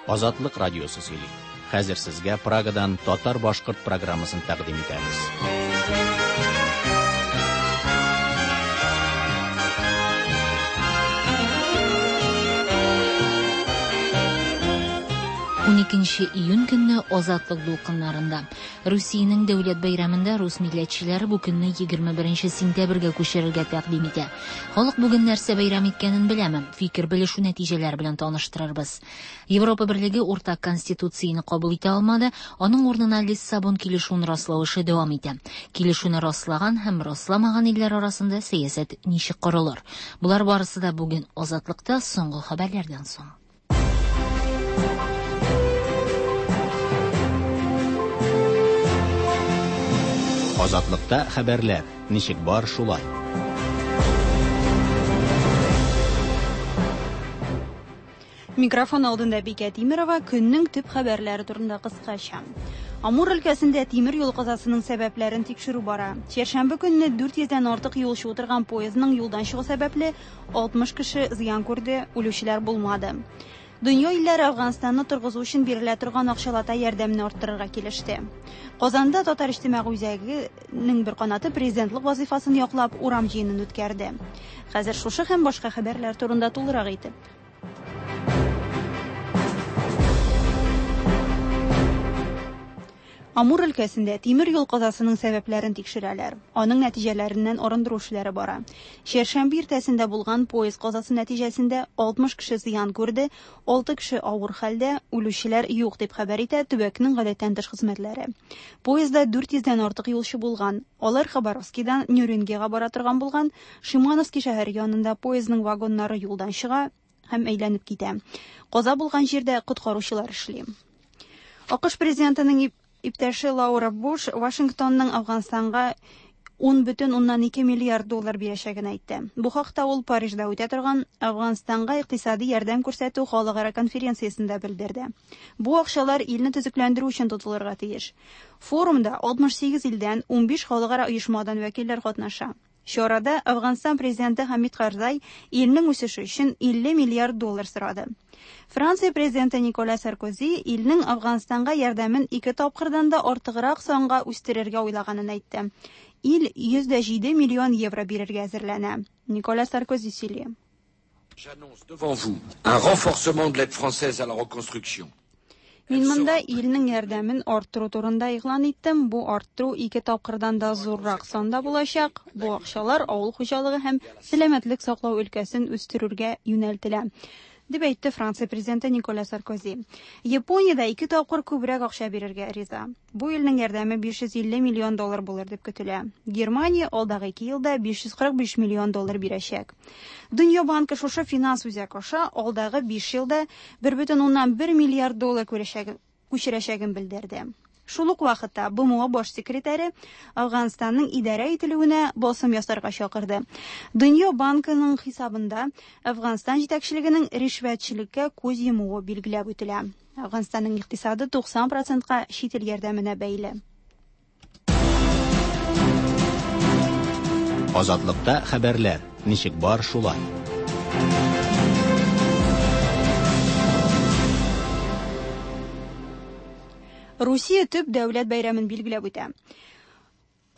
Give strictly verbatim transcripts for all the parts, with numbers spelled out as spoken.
Азатлык радиосы сөйли. Хәзер сезгә Прагадан татар-башкорт программасын тәкъдим итәбез. Уникенче июнь көнне Азатлык дулкыннарында Русиянең дәүләт бәйрәмендә рус милләтчеләре бу көнне егерме беренче сентябрьгә күчерергә тәкъдим итә. Халык бүген нәрсә бәйрәм иткәнен беләме? Фикер белешү нәтиҗәләре белән таныштырырбыз. Европа Берлеге уртак конституцияне кабул итә алмады, аның урынына Лиссабон килешүен раслау эше дәвам итә. Килешүне раслаган һәм расламаган илләр арасында сәясәт ничек корылыр? Болар барысы да бүген Азатлыкта соңгы хәбәрләрдән соң. Азатлыкта хәбәрләр ничек бар шулай. Микрофон алдында Бикә Тимерова көннең төп хәбәрләре турында кыскача. Амур өлкәсендә тимер юл казасының сәбәпләрен тикшерү бара. Чәршәмбе көнне дүрт йөздән артык юлчы утырган поездның юлдан чыгу сәбәпле алтмыш кеше зыян күрде, үлүчеләр булмады. Дөнья илләре Афганстанны торгызу өчен бирелә торган акчалата ярдәмне арттырырга килеште. Казанда Татар иҗтимагый үзәгенең бер канаты президентлык вазифасын яклап урам җыенын үткәрде. Хәзер шушы һәм башка хәбәрләр турында тулырак итеп. Амур өлкәсендә тимер юл казасының сәбәпләрен тикшерәләр. Аның нәтиҗәләреннән арындыру эшләре бара. Чәршәмбе иртәсендә булган поезд казасы нәтиҗәсендә алтмыш кеше зыян күрде, алты кеше авыр хәлдә, үлүчеләр юк дип хәбәр итә төбәкнең гадәттән тыш хезмәтләре. Поездда дүрт йөздән артык юлчы булган. Алар Хабаровскидан Нюрингега бара торган булган. Шимановский шәһәре янында поездның вагоннары юлдан чыга һәм әйләнеп китә. Каза булган җирдә коткаручылар эшли. АКШ президентының иптәше Лаура Буш Вашингтонның Афганстанга ун бөтен уннан ике миллиард доллар бирәчәген әйтте. Бу хакта ул Парижда үтә торган Афганстанга икътисади ярдәм күрсәтү халыкара конференциясендә белдерде. Бу акчалар илне төзекләндерү өчен тотылырга тиеш. Форумда алтмыш сигез илдән ун биш халыкара оешмадан вәкилләр катнаша. Чарада Афганстан президенты Хамид Карзай илнең үсеше өчен илле миллиард доллар сорады. Франция президенты Никола Саркози илнең Афганстанга ярдәмен ике тапкырдан да артыграк санга үстерергә уйлаганын әйтте. Ил йөз дә җиде миллион евро бирергә әзерләнә. Никола Саркози сөйли. J'annonce devant vous un renforcement de l'aide française à la reconstruction. Мин монда илнең ярдәмен арттыру турында игълан иттем. Бу арттыру ике тапкырдан да зуррак санда булачак. Бу акчалар авыл хуҗалыгы һәм сәламәтлек саклау өлкәсен үстерүгә юнәлтелә, дип әйтте Франция президенты Никола Саркози. Япониядә ике тапкыр күбрәк акча бирергә риза. Бу илнең ярдәме биш йөз илле миллион доллар булыр дип көтелә. Германия алдагы ике елда биш йөз кырык биш миллион доллар бирәчәк. Дөнья банкы шушы финанс үзәк аша алдагы биш елда бер бөтен уннан бер миллиард доллар күчерәчәген белдерде. Шул ук вакытта БМО баш секретаре Афганстанның идарә ителүенә басым ясарга чакырды. Дөнья банкының хисабында Афганстан җитәкчелегенең ришвәтчелеккә күз йомуы билгеләп үтелә. Афганстанның икътисады туксан процентка чит ил ярдәменә бәйле. Азатлыкта хәбәрләр ничек бар шулай. Русия төп дәүләт бәйрәмен билгеләп үтә.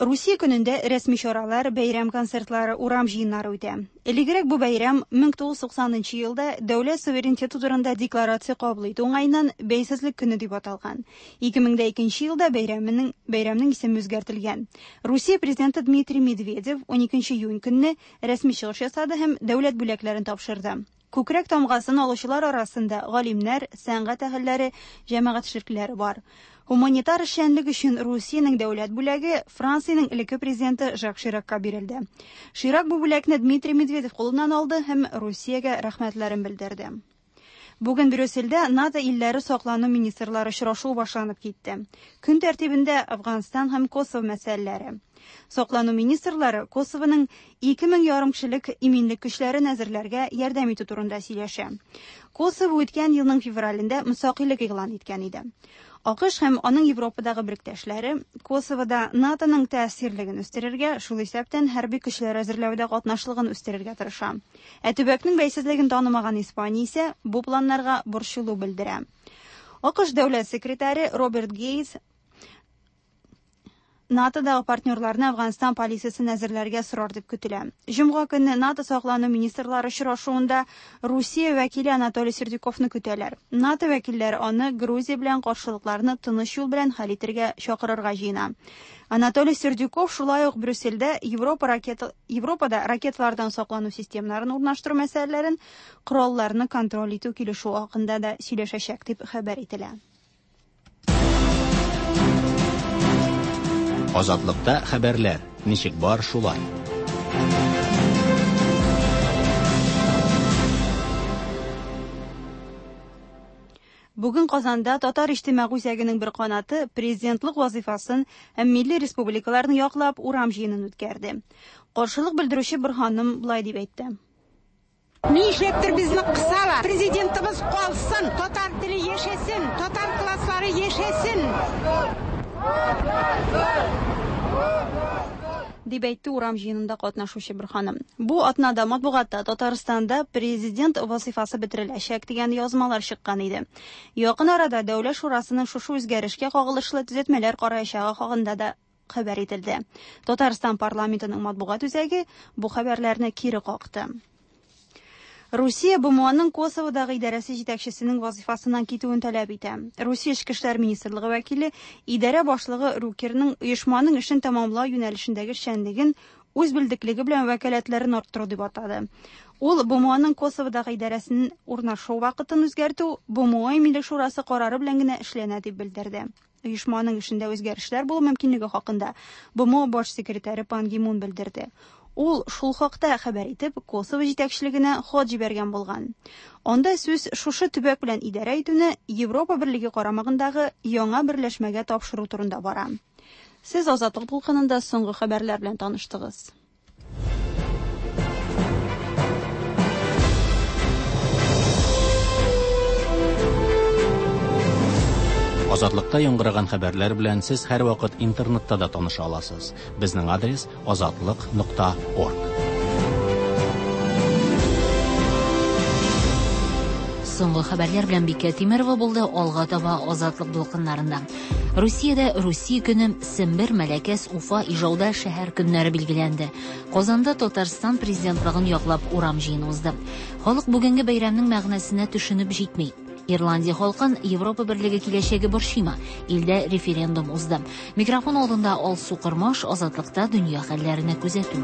Русия көнендә рәсми чаралар, бәйрәм концертлары, урам җыеннары үтә. Элегрәк бу бәйрәм мең тугыз йөз туксанынчы елда дәүләт суверенитеты турында декларация кабул итү уңаеннан бәйсезлек көне дип аталган. Ике мең дә икенче елда бәйрәменең, бәйрәмнең исеме үзгәртелгән. Русия президенты Дмитрий Медведев уникенче июнь көнне рәсми чыгыш ясады һәм дәүләт бүләкләрен тапшырды. Күкрәк тамгасын алучылар арасында галимнәр, сәнгать әһелләре, җәмәгать эшлеклеләре бар. Гуманитар эшчәнлек өчен Русиянең дәүләт бүләге Франциянең элекке президенты Жак Ширакка бирелде. Ширак бу бүләкне Дмитрий Медведев кулыннан алды һәм Русиягә рәхмәтләрен белдерде. Бүген Брюссельдә НАТО илләре саклану министрлары очрашуы башланып китте. Көн тәртибендә Афганстан һәм Косово мәсьәләләре. Саклану министрлары Косовоның ике мең ярым кешелек иминлек көчләрен әзерләргә ярдәм итү турында сөйләшә. Косово үткән елның февралендә мөстәкыйльлек игълан иткән иде. АКШ һәм аның Европадагы беректәшләре Косовода НАТОның тәэсирлеген үстерергә, шул исәптән хәрби көчләр әзерләүдә катнашлыгын үстерергә тырыша. Ә төбәкнең бәйсезлеген танымаган Испания исә бу планнарга борчылу белдерә. АКШ дәүләт секретаре Роберт Гейтс НАТОдагы партнерларны Әфганстан полициясен әзерләргә сорар дип көтелә. Җомга көнне НАТО саклану министрлары очрашуында Русия вәкиле Анатолий Сердюковны көтәләр. НАТО вәкилләре аны Грузия белән каршылыкларны тыныч юл белән хәл итәргә чакырырга җыена. Анатолий Сердюков шулай ук Брюссельдә Европа ракета Европада ракеталардан саклану системаларын урнаштыру мәсьәләләрен, коралларны контроль итү килешүе хакында да сөйләшәчәк дип хәбәр ителә. Азатлыкта хәбәрләр ничек бар шулай. Бүген Казанда Татар иҗтимагый үзәгенең бер канаты президентлык вазифасын һәм милли республикаларны яклап урам җыенын үткәрде. Каршылык белдерүче бер ханым болай дип әйтте. Нишләптер безне кысалар. Президентыбыз калсын, татар теле яшәсен, татар класслары яшәсен. Дип әйтте урам җыенында катнашучы бер ханым. Бу атнада матбугатта Татарстанда президент вазифасы бетереләчәк дигән язмалар чыккан иде. Якын арада Дәүләт шурасының шушы үзгәрешкә кагылышлы төзәтмәләр караячагы хакында да хәбәр ителде. Татарстан парламентының матбугат үзәге бу хәбәрләрне кире какты. Русия БМОның Косоводагы идарәсе җитәкчесенең вазифасыннан китүен таләп итә. Русия Эчке эшләр министрлыгы вәкиле идарә башлыгы Рукерның оешманың эшен тәмамлау юнәлешендәге эшчәнлеген үз белдеклеге белән вәкаләтләрен арттыру дип атады. Ул БМОның Косоводагы идарәсен урнашу вакытын үзгәртү БМО Милли шурасы карары белән генә эшләнә дип белдерде. Оешманың эшендә үзгәрешләр булу мөмкинлеге хакында БМО баш секретаре Пан Ги Мун белдерде. Ул шул хакта хәбәр итеп, Косово җитәкчелегенә хат җибәргән булган. Анда сүз шушы төбәк белән идарә итүне Европа Берлеге карамагындагы яңа берләшмәгә тапшыру турында бара. Сез Азатлык дулкынында соңгы хәбәрләр белән таныштыгыз. Азатлыкта яңгыраган хәбәрләр белән сез һәрвакыт интернетта да таныша аласыз. Безнең адрес азатлык нокта орг. Соңгы хәбәрләр белән Бикә Тимерова булды. Алга таба Азатлык дулкыннарында. Русиядә Русия көне, Сембер, Мәләкәс, Уфа, Ижауда шәһәр көннәре билгеләнде. Казанда Татарстан президентлыгын яклап урам җыены узды. Халык бүгенге бәйрәмнең мәгънәсенә төшенеп җитми. Ирландия халкын Европа Берлеге киләчәге борчыймы? Илдә референдум узды. Микрофон алдында Алсу Кырмаш, Азатлыкта дөнья хәлләренә күзәтү.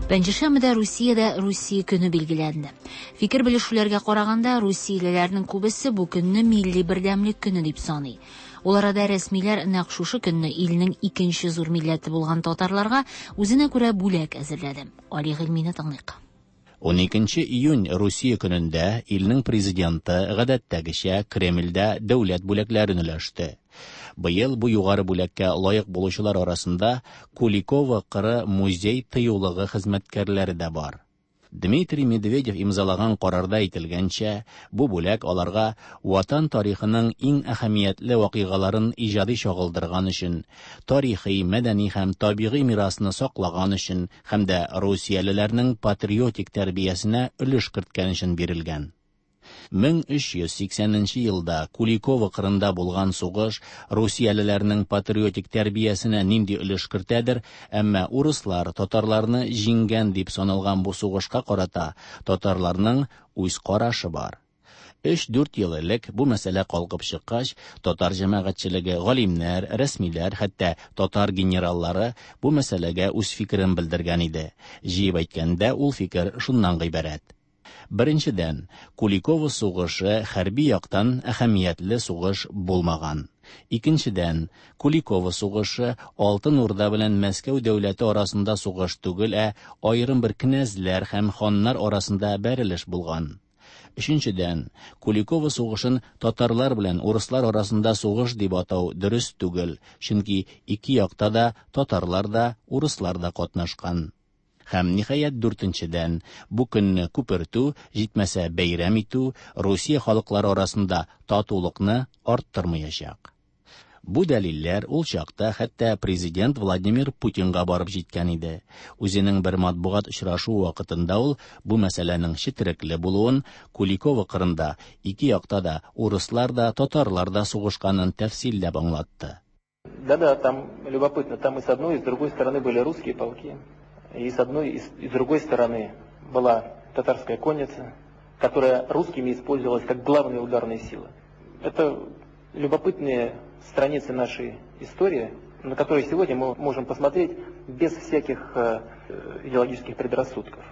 Пәнҗешәмбедә Русиядә Русия көне билгеләнде. Фикер белешүләргә караганда, русиялеләрнең күбесе бу көнне милли бердәмлек көне дип саный. Ул арада рәсмиләр нәкъ шушы көнне илнең икенче зур милләте булган татарларга үзенә күрә бүләк әзерләде. Али Гыйльмине тыңлыйк. он икенче июнь Русия көнендә илнең президенты гадәттәгечә Кремльдә дәүләт бүләкләрен өләште. Быел бу югары бүләккә лаек булучылар арасында Куликово кыры музей тыюлыгы хезмәткәрләре дә бар. Дмитрий Медведев имзалаган карарда әйтелгәнчә, бу бүләк аларга ватан тарихының иң әһәмиятле вакыйгаларын иҗади чагылдырган өчен, тарихи, мәдәни һәм табигый мирасны саклаган өчен һәм дә русиялеләрнең патриотик тәрбиясенә өлеш керткән өчен бирелгән. мең өч йөз сиксәненче елда Куликово кырында булган сугыш русиялеләрнең патриотик тәрбиясенә нинди өлеш кертәдер, әмма урыслар татарларны җиңгән дип саналган бу сугышка карата татарларның үз карашы бар. Өч-дүрт ел элек бу мәсьәлә калкып чыккач, татар җәмәгатьчелеге, галимнәр, рәсмиләр, хәтта татар генераллары бу мәсьәләгә үз фикерен белдергән иде. Җыеп әйткәндә, ул фикер шуннан гыйбарәт. Беренчедән, Куликово сугышы хәрби яктан әһәмиятле сугыш булмаган. Икенчедән, Куликово сугышы Алтын Урда белән Мәскәү дәүләте арасында сугыш түгел, ә аерым бер князьләр һәм ханнар арасында бәрелеш булган. Өченчедән, Куликово сугышын татарлар белән урыслар арасында сугыш дип атау дөрес түгел, чөнки ике якта да татарлар да, урыслар да катнашкан. Һәм ниһаять дүртенчедән, бу көнне күпертү, җитмәсә бәйрәм итү Русия халыклары арасында татулыкны арттырмаячак. Бу дәлилләр ул чакта хәтта президент Владимир Путинга барып җиткән иде. Үзенең бер матбугат очрашуы вакытында ул бу мәсьәләнең четерекле булуын, Куликово кырында ике якта да урыслар да, татарлар да сугышканын тәфсилләп аңлатты. Да-да, там любопытно, там и с одной, и с другой стороны были русские полки, и с одной, и с другой стороны была татарская конница, которая русскими использовалась как главная ударная сила. Это любопытные страницы нашей истории, на которые сегодня мы можем посмотреть без всяких идеологических предрассудков.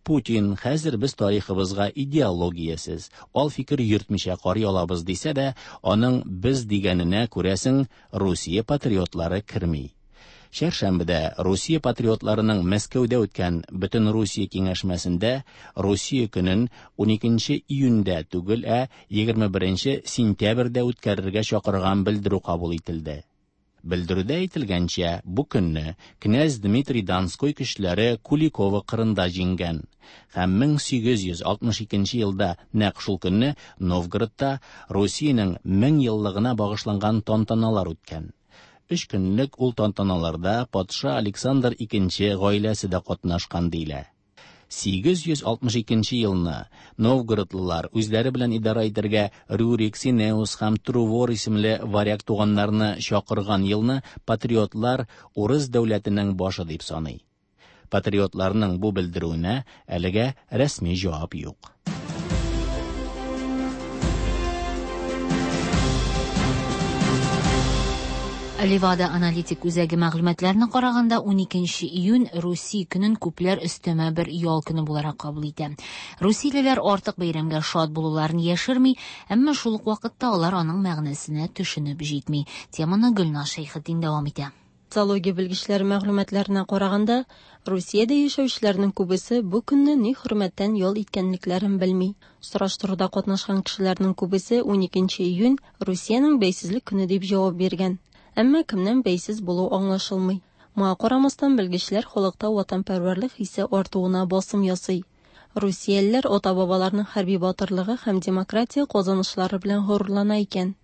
Путин хәзер без тарихыбызга идеологиясез, ал фикер йөртмичә карый алабыз дисә дә, аның без дигәненә күрәсең Русия патриотлары керми. Чәршәмбедә Русия патриотларының Мәскәүдә үткән Бөтен Русия киңәшмәсендә Русия көнен уникенче июньдә түгел, ә егерме беренче сентябрьдә үткәрергә чакырган белдерү кабул ителде. Белдерүдә әйтелгәнчә, бу көнне князь Дмитрий Донской көчләре Куликово кырында җиңгән һәм мең сигез йөз алтмыш икенче елда нәкъ шул көнне Новгородта Русиянең мең еллыгына багышланган тантаналар үткән. Өч көнлек ул тантаналарда патша Александр икенче гаиләсе дә катнашкан диелә. Сигез йөз алтмыш икенче елны новгородлылар үзләре белән идарә итәргә Рюрик, Синеус һәм Трувор исемле варяг туганнарны чакырган елны патриотлар урыс дәүләтенең башы дип саный. Патриотларның бу белдерүенә әлегә рәсми җавап юк. Левада аналитик үзәге мәгълүматларына караганда, уникенче июнь Русия көнен күпләр өстәмә бер ял көне буларак кабул итә. Русиялеләр артык бәйрәмгә шат булуларын яшерми, әмма шул ук вакытта алар аның мәгънәсенә төшенеп җитми. Теманы Гөлназ Шәйхетдин дәвам итә. Социология белгечләре мәгълүматларына караганда, Русиядә яшәүчеләрнең күбесе бу көнне ни хөрмәттән ял иткәнлекләрен белми. Сораштыруда катнашкан кешеләрнең күбесе уникенче июнь Русиянең бәйсезлек көне дип җавап биргән. Әмма кемнән бәйсез булу аңлашылмый. Моңа карамастан белгечләр халыкта ватанпәрвәрлек хисе артуына басым ясый. Русиялеләр ата-бабаларының хәрби батырлыгы һәм демократия казанышлары белән горурлана икән.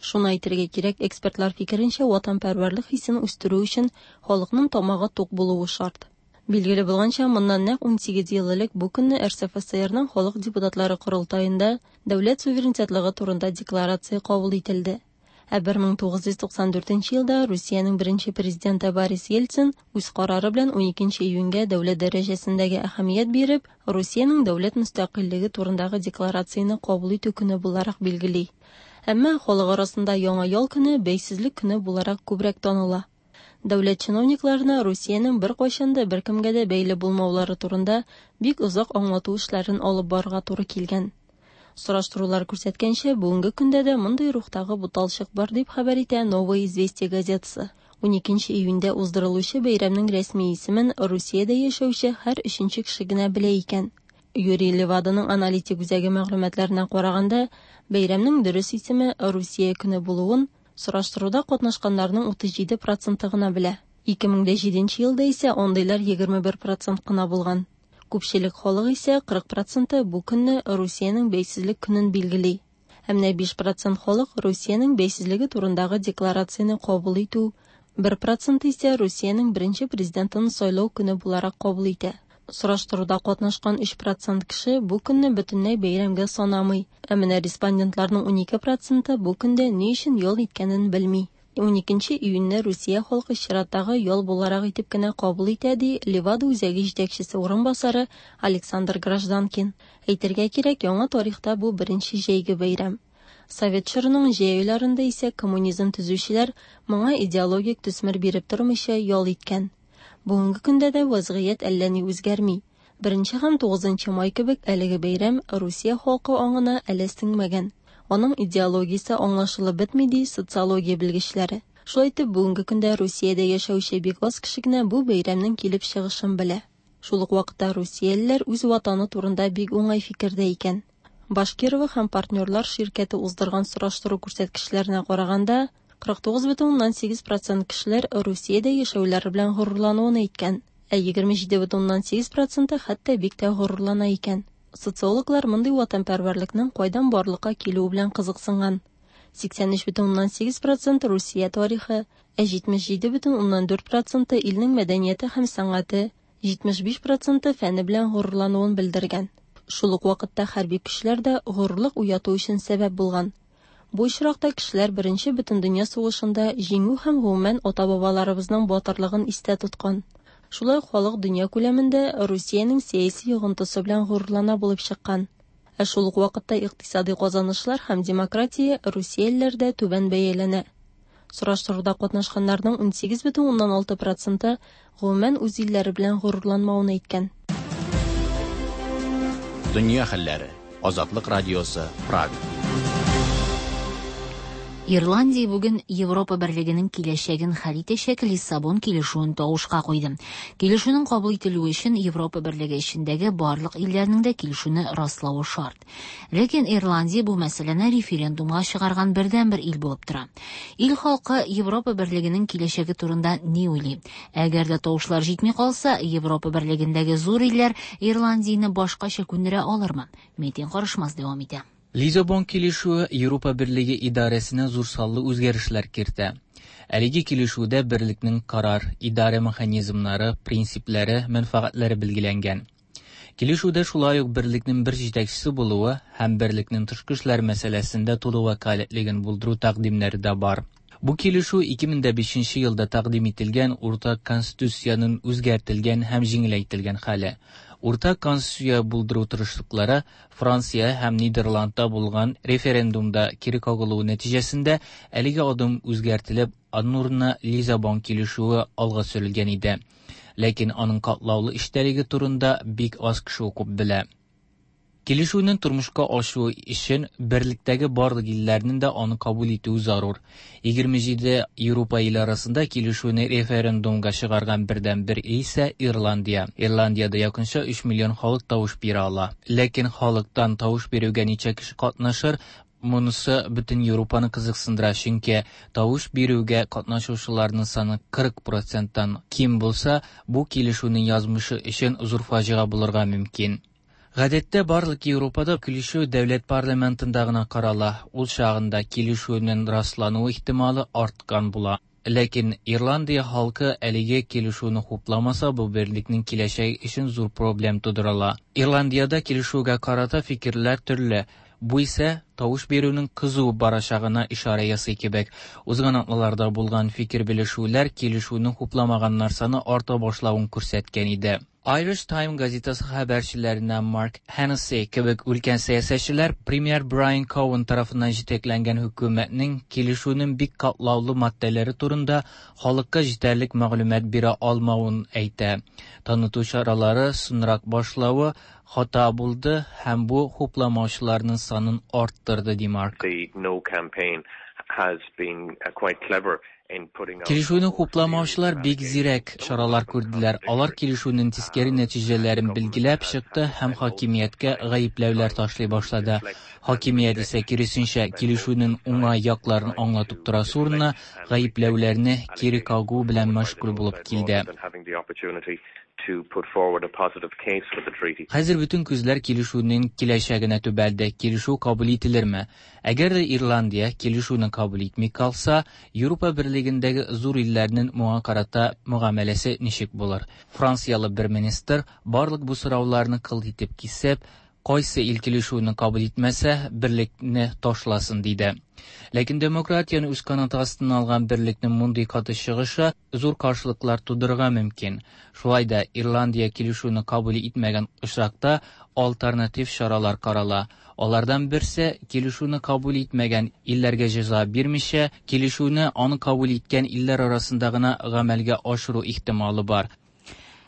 Шуны әйтергә кирәк, экспертлар фикеренчә, ватанпәрвәрлек хисен үстерү өчен халыкның тамагы тук булуы шарт. Билгеле булганча, моннан нәкъ унсигез ел элек бу көнне Р С Ф С Рның халык депутатлары корылтаенда дәүләт суверенитетлыгы турында декларация кабул ителде. Ә бер мең тугыз йөз туксан дүртенче елда Русиянең беренче президенты Борис Ельцин үз карары белән уникенче июньгә дәүләт дәрәҗәсендәге әһәмият биреп, Русиянең дәүләт мөстәкыйльлеге турындагы декларацияне кабул итү көне буларак билгели. Әмма халык арасында яңа ял көне бәйсезлек көне буларак күбрәк таныла. Дәүләт чиновникларына Русиянең бер кайчан да бер кемгә дә бәйле булмаулары турында бик озак аңлату эшләрен алып барырга туры килгән. Сораштырулар күрсәткәнчә, бүгенге көндә дә мондый рухтагы буталчык бар дип хәбәр итә Новое известие газетасы. Уникенче июньдә уздырылучы бәйрәмнең рәсми исемен Русиядә яшәүче һәр өченче кеше генә белә икән. Юрий Леваданың аналитик үзәге мәгълүматларына караганда, бәйрәмнең дөрес исеме Русия көне булуын сораштыруда катнашканнарның утыз җиде проценты гына белә. Ике мең дә җиденче елда исә андыйлар егерме бер процент кына булган. Күпчелек халык исә кырык проценты бу көнне Русиянең бәйсезлек көнен билгели. Ә менә биш процент халык Русиянең бәйсезлеге турындагы декларацияне кабул итү, бер процент исә Русиянең беренче президентын сайлау көне буларак кабул итә. Сораштыруда катнашкан өч процент кеше бу көнне бөтенләй бәйрәмгә санамый. Ә менә респондентларның унике проценты бу көндә ни өчен ял иткәнен белми. Уникенче июньне Русия халкы чираттагы ял буларак итеп кенә кабул итә, ди Левада үзәге җитәкчесе урынбасары Александр Гражданкин. Әйтергә кирәк, яңа тарихта бу беренче җәйге бәйрәм. Совет чорының җәй айларында исә коммунизм төзүчеләр моңа идеологик төсмер биреп тормыйча ял иткән. Бүгенге көндә дә вазгыять әллә ни үзгәрми. Беренче һәм тугызынчы май кебек әлеге бәйрәм Русия халкы аңына әле сеңмәгән. Аның идеологиясе аңлашылып бетми, ди социология белгечләре. Шулай итеп, бүгенге көндә Русиядә яшәүче бик аз кеше генә бу бәйрәмнең килеп чыгышын белә. Шул ук вакытта русиялеләр үз ватаны турында бик уңай фикердә икән. Башкирова һәм партнерлар ширкәте уздырган сораштыру күрсәткечләренә караганда, кырык тугыз бөтен уннан сигез процент кешеләр Русиядә яшәүләре белән горурлануын әйткән. Ә егерме җиде бөтен уннан сигез проценты хәтта бик тә горурлана икән. Социологлар мондый ватанпәрвәрлекнең кайдан барлыкка килүе белән кызыксынган. Сиксән өч бөтен уннан сигез процент Русия тарихы, ә җитмеш җиде бөтен уннан дүрт проценты илнең мәдәнияте һәм сәнгате, җитмеш биш проценты фәне белән горурлануын белдергән. Шул ук вакытта хәрби көчләр дә горурлык уяту өчен сәбәп булган. Бу очракта кешеләр Беренче бөтендөнья сугышында җиңү һәм гомумән ата-бабаларыбызның батырлыгын истә тоткан. Шулай ук халык дөнья күләмендә Русиянең сәяси йогынтысы белән горурлана булып чыккан. Ә шул ук вакытта икътисади казанышлар һәм демократия русиялеләрдә түбән бәяләнә. Сораштыруда катнашканнарның унсигез бөтен уннан алты проценты гомумән үз илләре белән горурланмавын әйткән. Дөнья хәлләре. Азатлык радиосы, Прага. Ирландия бүген Европа берлегенең киләчәген хәл итәчәк Лиссабон килешүен тавышка куйды. Килешүнең кабул ителүе өчен Европа берлеге эчендәге барлык илләрнең дә килешүне раславы шарт. Ләкин Ирландия бу мәсьәләне референдумга чыгарган бердәнбер ил булып тора. Ил халкы Европа берлегенең киләчәге турында ни уйлый? Әгәр дә тавышлар җитми калса, Европа берлегендәге зур илләр Ирландияне башкача күндерә алырмы? Метин Карышмас дәвам итә. Лиссабон килешүе Европа берлеге идарәсенә зур саллы үзгәрешләр кертә. Әлеге килешүдә берлекнең карар, идарә механизмнары, принциплары, мәнфәгатьләре билгеләнгән. Килешүдә шулай ук берлекнең бер җитәкчесе булуы һәм берлекнең тышкы эшләр мәсьәләсендә тулы вәкаләтлеген булдыру тәкъдимнәре дә бар. Бу килешү ике мең дә бишенче елда тәкъдим ителгән уртак конституциянең үзгәртелгән һәм җиңеләйтелгән хәле. Уртак конституция булдыру тырышлыклары Франция һәм Нидерландта булган референдумда кире кагылуы нәтиҗәсендә әлеге адым үзгәртелеп, аның урынына Лиссабон килешүе алга сөрелгән иде. Ләкин аның катлаулы эчтәлеге турында бик аз кеше укып белә. Килешүнең тормышка ашуы өчен берлектәге барлык илләрнең дә аны кабул итүе зарур. Егерме җиде Европа иле арасында килешүне референдумга чыгарган бердәнбер ил исә Ирландия. Ирландиядә якынча өч миллион халык тавыш бирә ала. Ләкин халыктан тавыш бирүгә ничә кеше катнашыр, монысы бөтен Европаны кызыксындыра, чөнки тавыш бирүгә катнашучыларның саны кырык проценттан ким булса, бу килешүнең язмышы өчен зур фаҗига булырга мөмкин. Гадәттә барлык Европада килешү дәүләт парламентында гына карала. Ул чагында килешүнең раслануы ихтималы арткан була. Ләкин Ирландия халкы әлеге килешүне хупламаса, бу берлекнең киләчәге өчен зур проблем тудырыла. Ирландиядә килешүгә карата фикерләр төрле. Бу исә тавыш бирүнең кызу барачагына ишарә ясый кебек. Узган атналарда булган фикер белешүләр килешүне хупламаганнар саны арта башлавын күрсәткән иде. Irish Times газетасы хәбәрчеләренә Марк Хеннесси кебек өлкән сәясәтчеләр премьер Брайан Коуэн тарафыннан җитәкләнгән хөкүмәтнең килешүнең бик катлаулы маддәләре турында халыкка җитәрлек мәгълүмат бирә алмавын әйтә. Таныту чаралары соңрак башлавы хата булды һәм бу хупламаучыларның санын арттырды, ди Марк. The No campaign has been quite clever. Килешүне хупламаучылар бик зирәк чаралар күрделәр. Алар килешүнең тискәре нәтиҗәләрен билгеләп чыкты һәм хакимияткә гаепләүләр ташлый башлады. Хакимият исә киресенчә килешүнең уңай якларын аңлатып торасы урынына гаепләүләрне кире кагу белән мәшгуль булып килде. Хәзер бөтен күзләр килешүнең киләчәгенә төбәлде. Килешү кабул ителерме? Әгәр дә Ирландия килешүне кабул итми калса, Европа берлегендәге зур илләрнең моңа карата мөгамәләсе ничек булыр? Франциялы бер министр барлык бу сорауларны кылт итеп кисеп, кайсы ил килешүне кабул итмәсә, берлекне ташласын, диде. Ләкин демократияне үз канаты астына алган берлекнең мондый каты чыгышы зур каршылыклар тудырырга мөмкин. Шулай да Ирландия килешүне кабул итмәгән очракта альтернатив чаралар карала. Алардан берсе килешүне кабул итмәгән илләргә җәза бирмичә, килешүне аны кабул иткән илләр арасында гына гамәлгә ашыру ихтималы бар.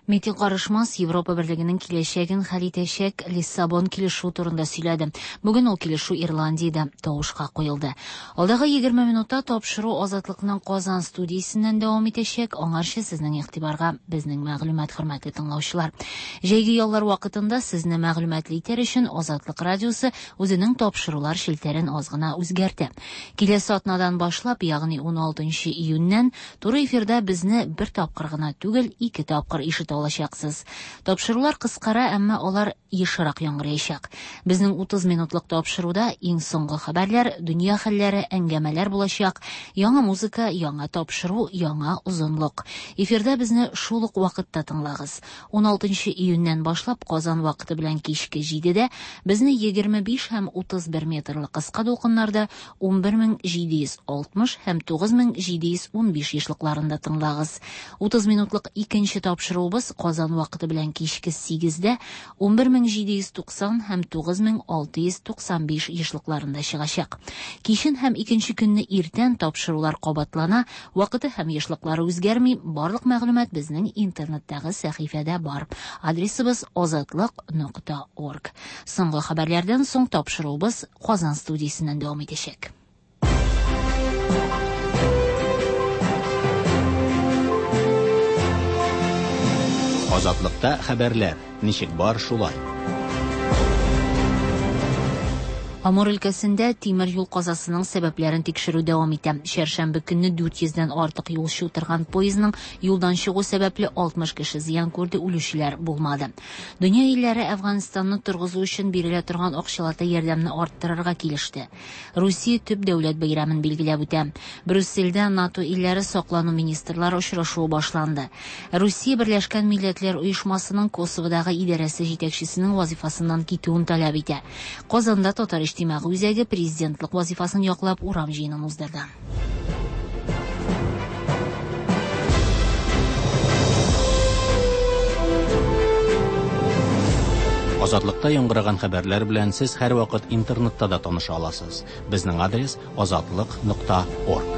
Метин Карышмас Европа берлегенең киләчәген хәл итәчәк Лиссабон килешүе турында сөйләде. Бүген ул килешү Ирландиядә тавышка куелды. Алдагы егерме минутта тапшыру Азатлыкның Казан студиясеннән дәвам итәчәк. Аңарчы сезнең игътибарга безнең мәгълүмат, хөрмәтле тыңлаучылар. Җәйге яллар вакытында сезне мәгълүматлы итәр өчен Азатлык радиосы үзенең тапшырулар челтәрен аз гына үзгәртә. Киләсе атнадан башлап, ягъни ун алтынчы июньнән туры эфирда безне бер тапкыр гына түгел, ике тапкыр ишетә алачаксыз. Тапшырулар кыскара, әмма алар ешрак яңгыраячак. Безнең утыз минутлык тапшыруда иң соңгы хәбәрләр, дөнья хәлләре, әңгәмәләр булачак, яңа музыка, яңа тапшыру, яңа озынлык. Эфирда безне шул ук вакытта тыңлагыз. ун алтынчы июньнән башлап Казан вакыты белән кичке җидедә безне егерме биш һәм утыз бер метрлы кыска дулкыннарда ун бер мең җиде йөз алтмыш һәм тугыз мең җиде йөз ун биш ешлыкларында тыңлагыз. утыз минутлык икенче тапшыруыбыз Казан вакыты белән кичке сигездә ун бер мең җиде йөз туксан һәм тугыз мең алты йөз туксан биш ешлыкларында чыгачак. Кичен һәм икенче көнне иртән тапшырулар кабатлана, вакыты һәм ешлыклары үзгәрми. Барлык мәгълүмат безнең интернеттагы сәхифәдә бар. Адресыбыз азатлык нокта орг. Соңгы хәбәрләрдән соң тапшыруыбыз Казан студиясеннән дәвам итәчәк. Азатлыкта хәбәрләр ничек бар шулай. Амур өлкәсендә тимер юл казасының сәбәпләрен тикшерү дәвам итә. Чәршәмбе көнне дүрт йөздән артык юлчы утырган поездның юлдан чыгу сәбәпле алтмыш кеше зыян күрде, үлүчеләр булмады. Дөнья илләре Әфганстанны торгызу өчен бирелә торган акчалата ярдәмне арттырырга килеште. Русия төп дәүләт бәйрәмен билгеләп үтә. Брюссельдә НАТО илләре саклану министрлары очрашуы башланды. Русия Берләшкән Милләтләр Оешмасының Косоводагы идарәсе җитәкчесенең вазифасыннан китүен таләп итә. Казанда Татар иҗтимагый үзәге президентлык вазифасын яклап урам җыенын уздырды. Азатлыкта яңгыраган хәбәрләр белән сез һәрвакыт интернетта да таныша аласыз. Безнең адрес азатлык нокта орг.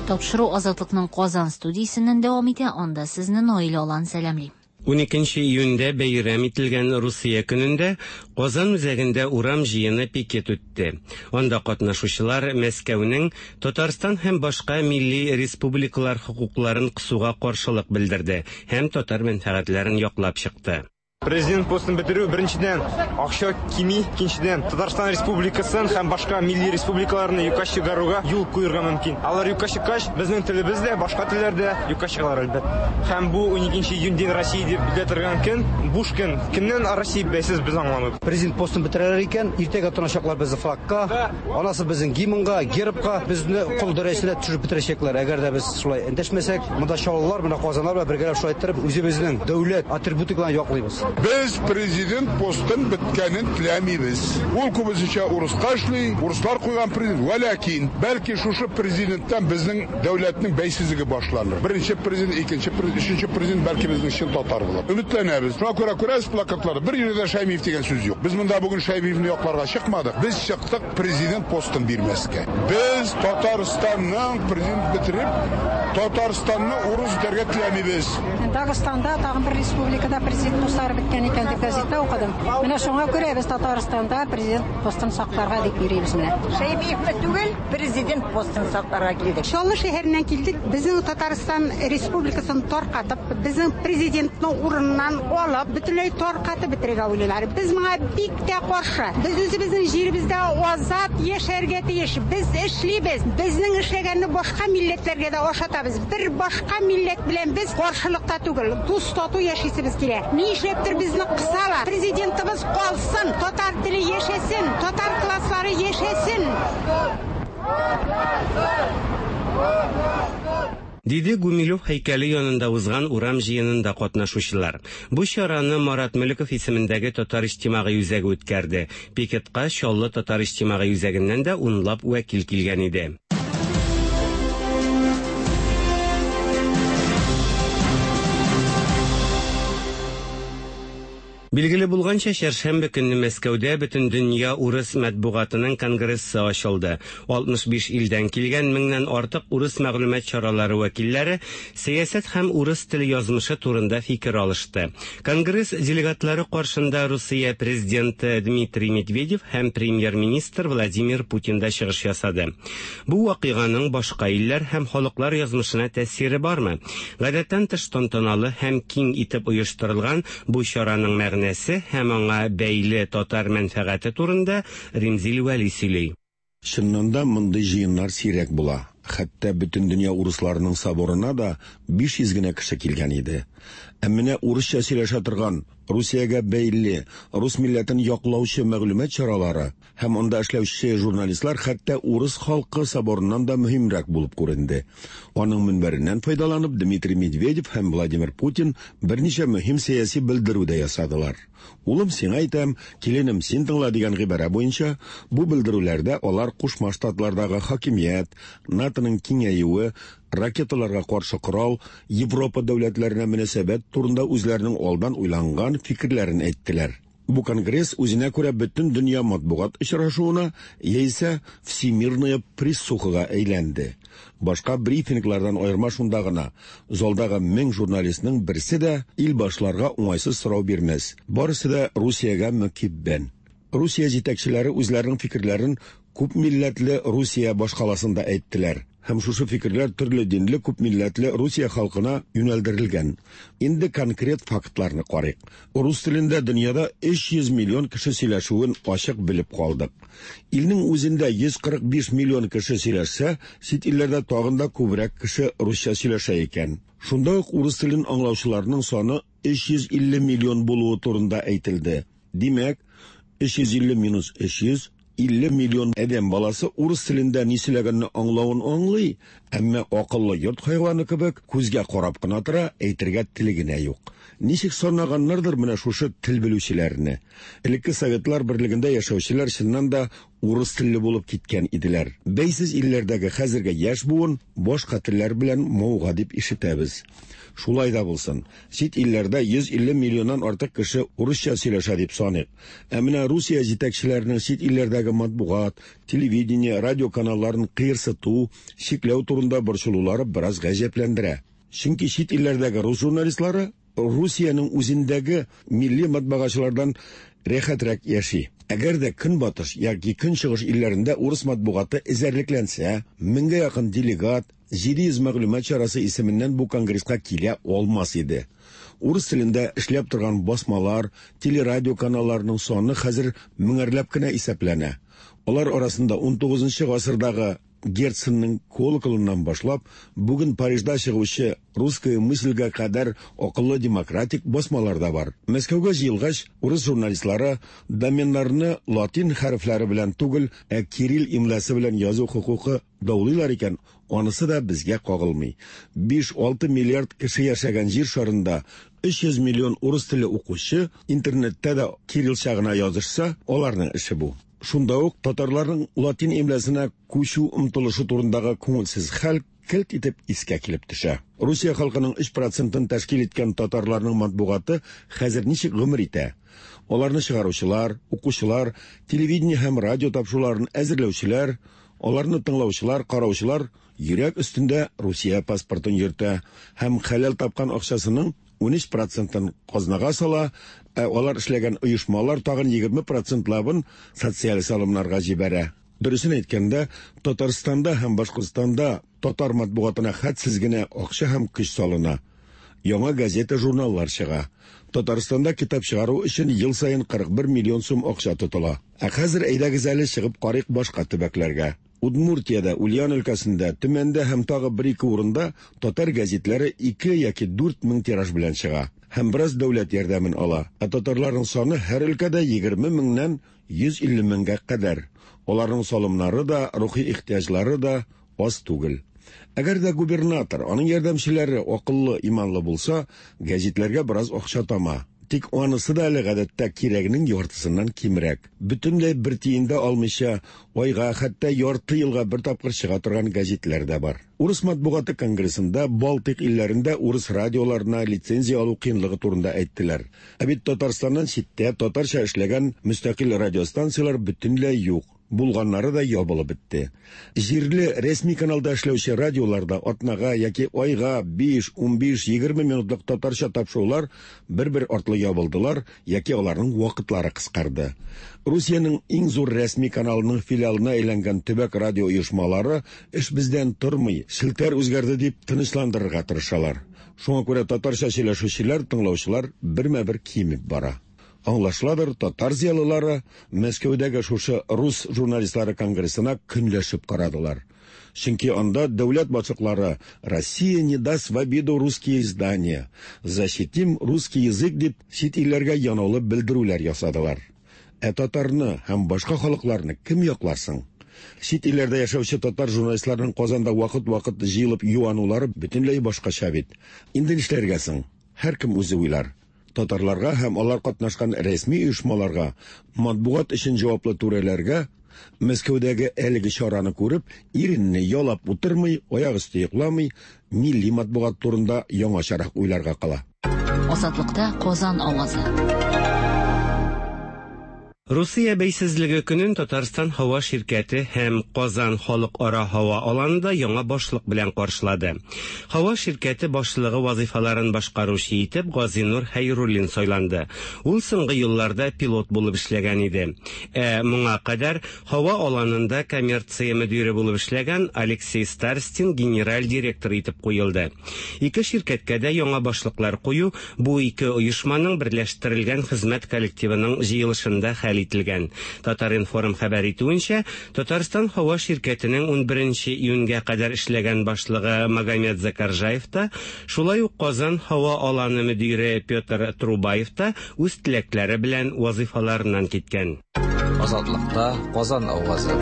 Тапшыру Азатлыкның Казан студиясеннән дәвам итә. Анда сезне Наилә Алан сәламли. ун икенче июньдә бәйрәм ителгән Русия көнендә Казан үзәгендә урам җыены пикет үтте. Анда катнашучылар Мәскәүнең Татарстан һәм башка милли республикалар хокукларын кысуга каршылык белдерде һәм татар мәнфәгатьләрен яклап чыкты. Президент постын бетерү беренчедән акча кими, икенчедән Татарстан Республикасын һәм башка милли республикаларны юкка чыгаруга юл куярга мөмкин. Алар юкка чыккач, безнең телебез дә, башка телләр дә юкка чыгалар әлбәттә. Һәм бу ун икенче июньдән Россия дип белә торган көн, буш көн. Кемнән Россия бәйсез без аңламыйбыз. Президент постын бетерәләр икән, иртәгә тотыначаклар безне флагка, анасы безнең гимнга, гербка, безне кол дәрәҗәсенә төшереп бетерәчәкләр. Әгәр дә без шулай эндәшмәсәк, монда чаллылар, менә Казаннар белән бергәләп шулай иттереп үзебезнең дәүләт атрибутикаларын яклыйбыз. Без президент постын беткәнен теләмибез. Ул күбесенчә урыска эшли, урыслар куйган президент. Вәләкин, бәлки шушы президенттан безнең дәүләтнең бәйсезлеге башланыр. Беренче президент, икенче президент, өченче президент бәлки безнең чын татар булыр. Өметләнәбез. Шуңа күрә күрәсез плакатларда бер җирдә Шәймиев дигән сүз юк. Без монда бүген Шәймиевне якларга чыкмадык. Без чыктык президент постын бирмәскә. Без Татарстанның президент бетереп, Татарстанны урыс итәргә теләмибез. Дагыстанда тагын бер республикада президент постлары беткән икән дип газетта укыдым. Менә шуңа күрә без Татарстанда президент постын сакларга дип йөрибез менә. Шәймиевне түгел, президент постын сакларга килдек. Чаллы шәһәреннән килдек. Безнең Татарстан республикасын таркатып, безнең президентны урыннан алып, бөтенләй таркатып бетерергә уйлыйлар. Без моңа бик тә каршы. Без үзебезнең җиребездә азат яшәргә тиеш. Без эшлибез. Безнең эшләгәнне башка милләтләргә дә ашатабыз. Бер башка милләт белән без каршылыкта түгел, дус тату яшисебез килә. Ни эшләптер безне кысалар. Президентыбыз калсын, татар теле яшәсен, татар класслары яшәсен. Диде Гумилев һәйкәле янында узган урам җыенында катнашучылар. Бу чараны Марат Мөлеков исемендәге Татар иҗтимагый үзәге үткәрде. Пикетка Чаллы Татар иҗтимагый үзәгеннән дә унлап вәкил килгән иде. Билгеле булганча, чәршәмбе көнне Мәскәүдә бөтен дөнья урыс матбугатының конгрессы ачылды. алтмыш биш илдән килгән меңнән артык урыс мәгълүмат чаралары вәкилләре сәясәт һәм урыс теле язмышы турында фикер алышты. Конгресс делегатлары каршында Русия президенты Дмитрий Медведев һәм премьер-министр Владимир Путин да чыгыш ясады. Бу вакыйганың башка илләр һәм халыклар язмышына тәэсире бармы? Гадәттән тыш тантаналы һәм киң итеп оештырылган бу чараның мәгънәсе һәм аңа бәйле татар мәнфәгате турында Римзил Вәли сөйли. Чыннан да мондый җыеннар сирәк була. Хәтта Бөтендөнья урысларының соборына да биш йөз генә кеше килгән иде. Ә менә урысча сөйләшә торган, Русиягә бәйле, рус милләтен яклаучы мәгълүмат чаралары һәм анда эшләүче журналистлар хәтта урыс халкы соборыннан да мөһимрәк булып күренде. Аның мөнбәреннән файдаланып, Дмитрий Медведев һәм Владимир Путин берничә мөһим сәяси белдерү дә ясадылар. Улым, сиңа әйтәм, киленем, син тыңла дигән гыйбарә буенча, бу белдерүләрдә алар Кушма Штатлардагы хакимият, НАТОның киңәюе, ракеталарга каршы корал, Европа дәүләтләренә мөнәсәбәт турында үзләренең алдан уйланган фикерләрен әйттеләр. Бу конгресс үзенә күрә бөтен дөнья матбугат очрашуына яисә всемирная прессухага әйләнде. Башка брифинглардан аерма шунда гына: залдагы мең журналистның берсе дә ил башларга уңайсыз сорау бирмәс. Барысы да Русиягә мөкиббән. Русия җитәкчеләре үзләренең фикерләрен күп милләтле Русия башкаласында әйттеләр. Һәм шушы фикерләр төрле динле күп милләтле Русия халкына юнәлдерелгән. Инде конкрет фактларны карыйк. Рус телендә дөньяда өч йөз миллион кеше сөйләшүен ачык белеп калдык. Илнең үзендә йөз кырык биш миллион кеше сөйләшсә, чит илләрдә тагын да күбрәк кеше русча сөйләшә икән. Шунда ук урыс телен аңлаучыларның саны өч йөз илле миллион булуы турында әйтелде. Димәк, өч йөз илле минус өч йөз илле миллион адәм баласы урыс телендә ни сөйләгәнне аңлавын аңлый, әмма акыллы йорт хайваны кебек күзгә карап кына тора, әйтергә теле генә юк. Ничек санаганнардыр менә шушы тел белүчеләрне. Элекке Советлар берлегендә яшәүчеләр чыннан да урыс телле булып киткән иделәр. Бәйсез илләрдәге хәзерге яшь буын башка телләр белән мавыга дип ишетәбез. Шулай да булсын, чит илләрдә йөз илле миллионнан артык кеше урысча сөйләшә дип саныйк. Ә менә Русия җитәкчеләренең чит илләрдәге матбугат, телевидение, радио каналларын кыерсыту, чикләү турында борчылулары бераз гаҗәпләндерә. Чөнки чит илләрдәге рус журналистлары Русиянең үзендәге милли матбагачылардан рәхәтрәк яши. Әгәр дә көнбатыш яки көнчыгыш илләрендә урыс матбугаты эзәрлекләнсә, меңгә якын делегат, җиде йөз мәгълүмат чарасы исеменнән бу конгресска килә алмас иде. Урыс телендә эшләп торган басмалар, телерадио каналларының саны хәзер меңәрләп кенә исәпләнә. Алар арасында ун тугызынчы гасырдагы Герценның колоколыннан башлап, бүген Парижда чыгучы «Русская мысльгә кадәр акыллы демократик басмалар да бар. Мәскәүгә җыелгач, урыс журналистлары доменнарны латин хәрефләре белән түгел, ә кирилл имласы белән язу хокукы даулыйлар икән, анысы да безгә кагылмый. Биш-алты миллиард кеше яшәгән җир шарында өч йөз миллион урыс теле укучы интернетта да кириллча гына язышса, аларның эше бу. Шунда ук татарларның латин имласына күчү омтылышы турындагы күңелсез хәл келт итеп искә килеп төшә. Русия халкының өч процентын тәшкил иткән татарларның матбугаты хәзер ничек гомер итә? Аларны чыгаручылар, укучылар, телевидение һәм радио тапшыруларын әзерләүчеләр, аларны тыңлаучылар, караучылар йөрәк өстендә Русия паспортын йөртә һәм хәләл тапкан акчасының ун өч процентын казнага сала, ә алар эшләгән оешмалар тагын егерме процентлабын социаль салымнарга җибәрә. Дөресен әйткәндә, Татарстанда һәм Башкортстанда татар матбугатына хәтсез генә акча һәм көч салына. Яңа газета, журналлар чыга. Татарстанда китап чыгару өчен ел саен кырык бер миллион сум акча тотыла. Ә хәзер әйдәгез әле чыгып карыйк башка төбәкләргә. Удмуртиядә, Ульян өлкәсендә, Төмәндә һәм тагы бер-ике урында татар гәзитләре ике яки дүрт мең тираж белән чыга һәм бераз дәүләт ярдәмен ала. Ә татарларның саны һәр өлкәдә егерме меңнән йөз илле меңгә кадәр. Аларның салымнары да, рухи ихтыяҗлары да аз түгел. Әгәр дә губернатор, аның ярдәмчеләре акыллы, иманлы булса, гәзитләргә бераз акча тама. Тик анысы да әле гадәттә кирәгенең яртысыннан кимрәк. Бөтенләй бер тиен дә алмыйча, айга, хәтта ярты елга бер тапкыр чыга торган гәзитләр дә бар. Урыс матбугаты конгрессында Балтыйк илләрендә урыс радиоларына лицензия алу кыенлыгы турында әйттеләр. Ә бит Татарстаннан читтә татарча эшләгән мөстәкыйль радиостанцияләр бөтенләй юк. Булганнары да ябылып бетте. Җирле рәсми каналда эшләүче радиоларда атнага яки айга биш, унбиш, егерме минутлык татарча тапшырулар бер-бер артлы ябылдылар яки аларның вакытлары кыскарды. Русиянең иң зур рәсми каналының филиалына әйләнгән төбәк радио оешмалары эш бездән тормый, челтәр үзгәрде дип тынычландырырга тырышалар. Шуңа күрә татарча сөйләшүчеләр, тыңлаучылар бермә-бер кимеп бара. Аңлашыладыр, татар зыялылары Мәскәүдәге шушы рус журналистлары конгрессына көнләшеп карадылар. Чөнки анда дәүләт башлыклары «Россия не даст в обиду русские издания», «Защитим русский язык» дип чит илләргә янаулы белдерүләр ясадылар. Ә татарны һәм башка халыкларны кем яклар соң? Чит илләрдә яшәүче татар журналистларының Казанда вакыт-вакыт җыелып юанулары бөтенләй башкача бит. Инде нишләргә соң? Һәркем үзе уйлар. Татарларга һәм алар катнашкан рәсми оешмаларга, матбугат өчен җаваплы түрәләргә Мәскәүдәге әлеге чараны күреп, иренне ялап утырмый, аяк өсте йокламый, милли матбугат турында яңачарак уйларга кала. Азатлыкта Казан авазы. Русия бәйсезлеге көнен Татарстан һава ширкәте һәм Казан халыкара һава аланында яңа башлык белән каршылады. Һава ширкәте башлыгы вазифаларын башкаручы итеп Газинур Хәйруллин сайланды. Ул соңгы елларда пилот булып эшләгән иде. Ә моңа кадәр һава аланында коммерция мөдире булып эшләгән Алексей Старстин генераль директор итеп куелды. Ике ширкәткә дә яңа башлыклар кую бу ике оешманың берләштерелгән хезмәт коллективының җыелышында хәл ителгән. Татар-информ хәбәр итүенчә, Татарстан һава ширкәтенең ун беренче июньгә кадәр эшләгән башлыгы Магомед Закаржаев та, шулай ук Казан һава аланы мөдире Петр Трубаев та үз теләкләре белән вазифаларыннан киткән. Азатлыкта Казан авазы.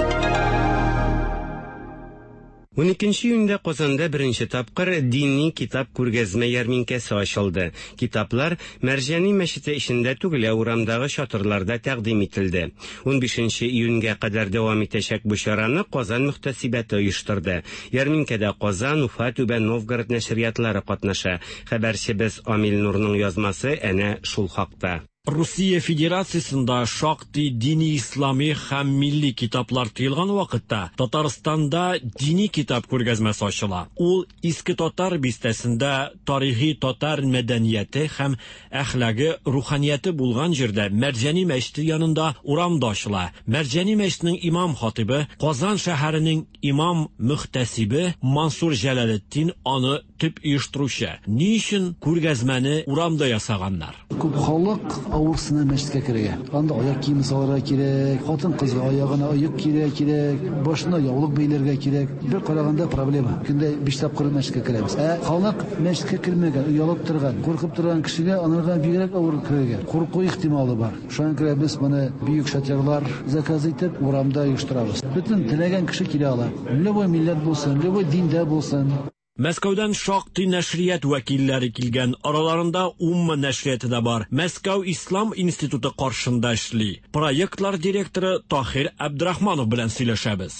ун икенче июньдә Казанда беренче тапкыр дини китап күргәзмә ярминкәсе ачылды. Китаплар Мәрҗани мәчете эчендә түгел, ә урамдагы чатырларда тәкъдим ителде. ун бишенче июньгә кадәр дәвам итәчәк бу чараны Казан мөхтәсибәте оештырды. Ярминкәдә Казан, Уфа, Түбән Новгород нәшриятлары катнаша. Хәбәрчебез Амил Нурның язмасы әнә шул хакта. Русия Федерациясында шактый дини ислами һәм милли китаплар тыелган вакытта Татарстанда дини китап күргәзмәсе ачыла. Ул Иске Татар бистәсендә тарихи татар мәдәнияте һәм әхлагы руханияте булган җирдә Мәрҗани мәчете янында урамда ачыла. Мәрҗани мәчетенең имам хатибы, Казан шәһәренең имам мөхтәсибе Мансур Җәләлетдин аны төп оештыручы. Ни өчен күргәзмәне урамда ясаганнар? Күп халык авырсына мәчеткә керергә. Анда аяк киеме салырга кирәк, хатын-кызга аягына оек кирәк, кирәк, башына яулык бәйләргә кирәк. Бер караганда проблема. Көндә биш тапкыр мәчеткә керәбез. Ә халык мәчеткә кермәгән, оялып торган, куркып торган кешегә анарга бигрәк авыр керергә. Курку ихтималы бар. Шуңа күрә без моны бөек шатерлар заказ итеп урамда оештырабыз. Бөтен теләгән кеше килә ала. Любой милләт булсын, любой диндә булсын. Мәскәүдән шактый нәшрият вәкилләре килгән, араларында Умма нәшрияты да бар. Мәскәү Ислам институты каршында эшли. Проектлар директоры Тахир Абдрахманов белән сөйләшәбез.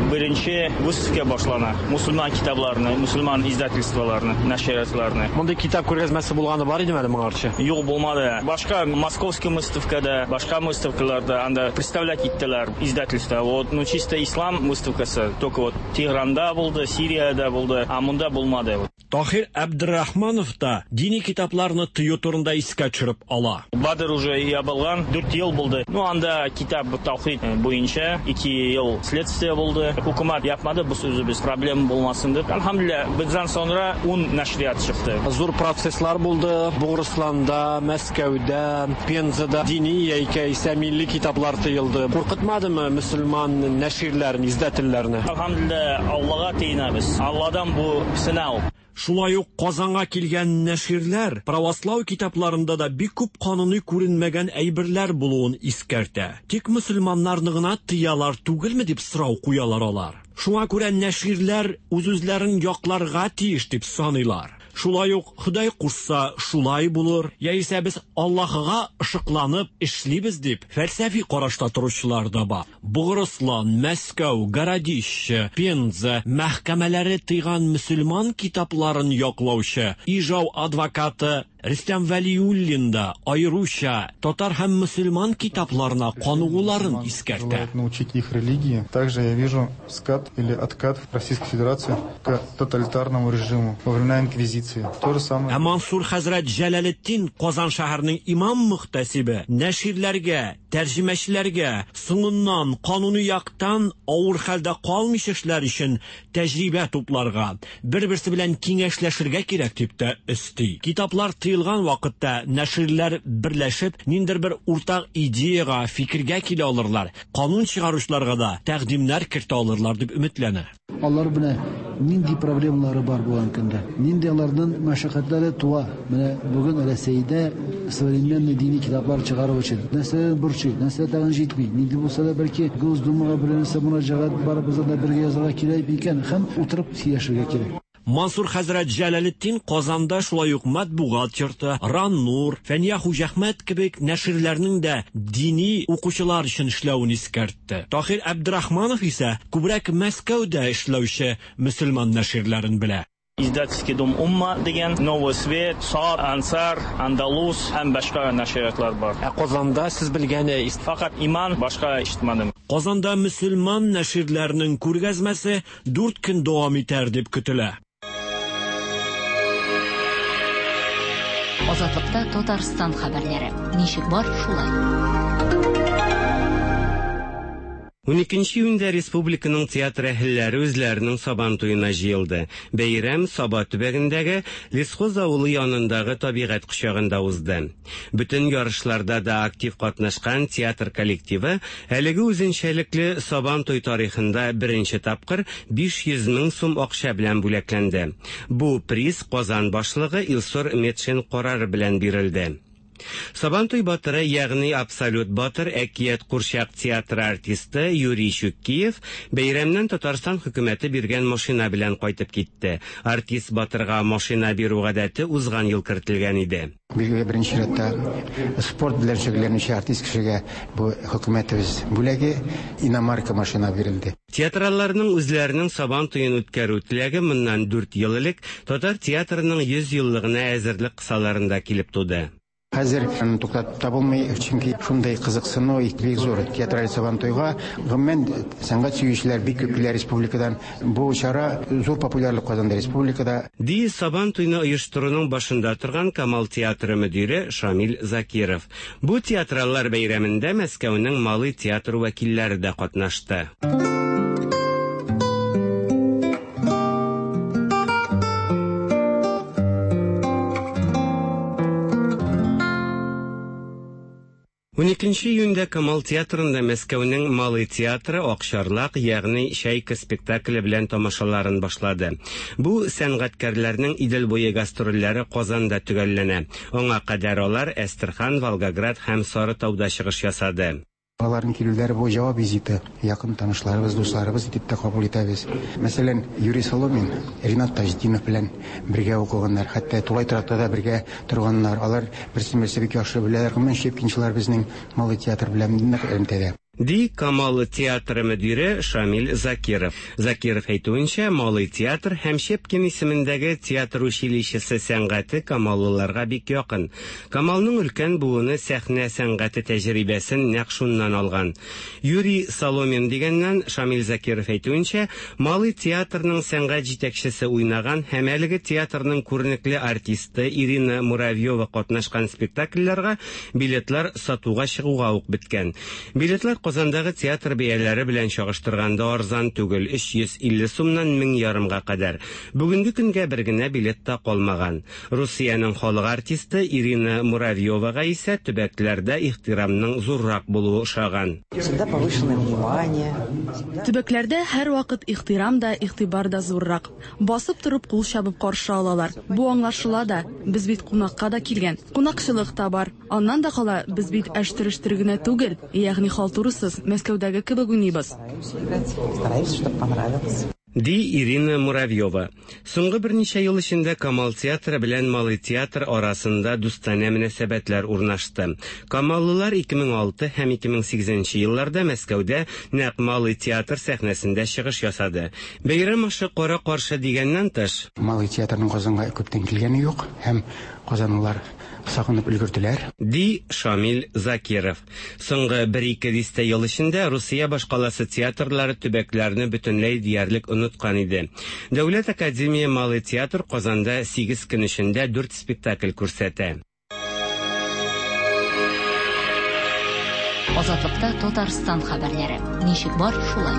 Беренче выставка башлана. Мусульман китапларны, мусульман издательстволарны, нәшриятларны. Монда китап күргәзмәсе булганы бар идеме әле моңарчы? Юк, булмады. Башка московский выставкада, башка выставкаларда анда представлять иттеләр издательство. Вот, ну чисто ислам выставкасы только вот Тегеранда булды, Сириядә булды, а монда булмады. Тахир Абдрахманов та дини китапларны тыю турында искә төшереп ала. Бадыр уже ябылган, дүрт ел булды. Ну анда китап таухид буенча ике ел следствие булды. Хөкүмәт yapmadı, bu sözü biz problem bulmasın dip. Elhamdülillah, bizden sonra un nəşriyyat çıktı. Зур процесслар булды. Бугырстанда, Мәскәүдә, Пензада дини яисә милли китаплар тыелды. Куркытмадымы мөселман нәширләрен, издательләрне? Elhamdülillah, Аллага тыйнабыз. Алладан бу сынау. Шулай ук Казанга килгән нәширләр православ китапларында да бик күп кануни күренмәгән әйберләр булуын искәртә. Тик мөселманнарны гына тыялар түгелме дип сорау куялар алар. Шуңа күрә нәширләр үз-үзләрен якларга тиеш дип саныйлар. Шулай ук Ходай кушса шулай булыр, яисә без Аллаһыга ышыкланып эшлибез дип фәлсәфи карашта торучылар да бар. Бугырыслан, Мәскәү, Городище, Пенза мәхкәмәләре тыйган мөселман китапларын яклаучы Ижау адвокаты Рөстәм Вәлиуллин да аеруча татар һәм мөселман китапларына каныгуларын искәртә. Научить их религии. Также я вижу скат или откат Российской Федерации к тоталитарному режиму во времена инквизиции. То же самое. Ә Мансур хәзрәт Җәләлетдин Казан шәһәренең имам мөхтәсибе нәширләргә Тәрҗемәчеләргә соңыннан кануни яктан авыр хәлдә калмыйча эшләр өчен тәҗрибә тупларга, бер-берсе белән киңәшләшергә кирәк дип тә өсти. Китаплар тыелган вакытта нәширләр берләшеп, ниндидер бер уртак идеяга, фикергә килә алырлар, канун чыгаручыларга да тәкъдимнәр кертә алырлар дип өметләнә. Алар менә нинди проблемалары бар булган көндә, нинди аларның мәшәкатьләре туа. Менә бүген Рәсәйдә современный дини китаплар чыгару өчен нәрсә борчый, нәрсә тагын җитми, нинди булса да бәлки Госдумага бер нәрсә мөрәҗәгать барыбызга да бергә язарга кирәк икән һәм утырып сөйләшергә кирәк. Мансур хәзрәт Җәләлетдин Казанда шулай ук Матбугат йорты, Раннур, Фәния Хуҗәхмәт кебек нәширләрнең дә дини укучылар өчен эшләвен искәртте. Таһир Әбдрахманов исә күбрәк Мәскәүдә эшләүче мөселман нәширләрен белә. Издательский дом Умма дигән, Новый Свет, Сар, Ансар, Андалус һәм башка нәшриятлар бар. Ә Казанда сез белгән фақат Иман, башка ишетмәдем. Казанда мөселман нәширләренең күргәзмәсе дүрт көн дәвам итәр дип көтелә. Азатлыкта Татарстан хәбәрләре. Ничек бар, шулай. Уникенче июньдә республиканың театр әһелләре үзләренең Сабан туена җыелды. Бәйрәм Саба төбәгендәге Лесхоз авылы янындагы табигать кочагында узды. Бөтен ярышларда да актив катнашкан театр коллективы әлеге үзенчәлекле Сабан туй тарихында беренче тапкыр биш йөз мең сум акча белән бүләкләнде. Бу приз Казан башлыгы Илсур Метшин карары белән бирелде. Сабантуй батыры, ягъни абсолют батыр, әкият курчак театры артисты Юрий Щукиев бәйрәмнән Татарстан хөкүмәте биргән машина белән кайтып китте. Артист батырга машина бирү гадәте узган ел кертелгән иде. Билгеле, беренче чиратта спорт белән шөгыльләнүче артист кешегә бу хөкүмәтебез бүләге иномарка машина бирелде. Театралларның үзләренең Сабан туен үткәрү теләге моннан дүрт ел элек татар театрының йөз еллыгына әзерлек кысаларында килеп туды. Хәзер аны туктатып та булмый, чөнки шундый кызыксыну бик зур театраль Сабантуйга. Гомумән, сәнгать сөючеләр бик күп килә республикадан. Бу чара зур популярлык казанды республикада. Ди Сабантуйны оештыруның башында торган Камал театры мөдире Шамил Закиров. Бу театраллар бәйрәмендә Мәскәүнең Малый театр вәкилләре дә катнашты. Уникенче июньдә Камал театрында Мәскәүнең Малый театры Акчарлак, ягъни Чайка спектакле белән тамашаларын башлады. Бу сәнгатькәрләрнең Идел буе гастрольләре Казанда төгәлләнә. Аңа кадәр алар Әстерхан, Волгоград һәм Сарытауда чыгыш ясады. Аларның килүләре бу җавап визиты. Якын танышларыбыз, дусларыбыз итеп тә кабул итәбез. Мәсәлән, Юрий Соломин, Ринат Таҗетдинов белән бергә укыганнар, хәтта тулай торакта да бергә торганнар. Алар берсен-берсе бик яхшы беләләр. Гомумән, Щепкинчылар безнең Малый театр белән нык элемтәдә. Ди Камал театры мөдире Шамил Закиров. Закиров әйтүенчә, Малый театр һәм Щепкин исемендәге театр училищесы сәнгате камаллыларга бик якын. Камалның өлкән буыны сәхнә сәнгате тәҗрибәсен нәкъ шуннан алган. Юрий Соломин дигәннән Шамил Закиров әйтүенчә, Малый театрның сәнгать җитәкчесе уйнаган һәм әлеге театрның күренекле артисты Ирина Муравьева катнашкан спектакльләргә билетлар сатуга чыгуга ук беткән. Билетлар Казандагы театр бәяләре белән чагыштырганда арзан түгел, өч йөз илле сумнан мең ярымга кадәр. Бүгенге көнгә бер генә билет та калмаган. Русиянең халык артисты Ирина Муравьевага исә төбәкләрдә ихтирамның зуррак булуы ошаган. Всегда повышенное внимание. Төбәкләрдә һәр вакыт ихтирам да, игътибар да зуррак. Басып торып кул чабып каршы алалар. Бу аңлашыла да, без бит кунакка да килгән. Кунакчылык та бар. Аннан да кала, без бит әштерештер генә түгел, ягъни халтурысыз Мәскәүдәге кебек уйныйбыз. Стараемся, чтобы понравилось. Ди Ирина Муравьева. Соңгы берничә ел эчендә Камал театры белән Малый театр арасында дустанә мөнәсәбәтләр урнашты. Камаллылар ике мең алты һәм ике мең сигезенче елларда Мәскәүдә нәкъ Малый театр сәхнәсендә чыгыш ясады. Бәйрәм ашы кара каршы дигәннән тыш, Малый театрның Казанга күптән килгәне юк һәм казанлылар сагынып өлгерделәр. Ди Шамил Закиров. Соңгы бер-ике дистә ел эчендә Русия башкаласы театрлары төбәкләрне бөтенләй диярлек оныткан иде. Дәүләт академия Малый театр Казанда сигез көн эчендә дүрт спектакль күрсәтә. Азатлыкта Татарстан хәбәрләре. Ничек бар, шулай.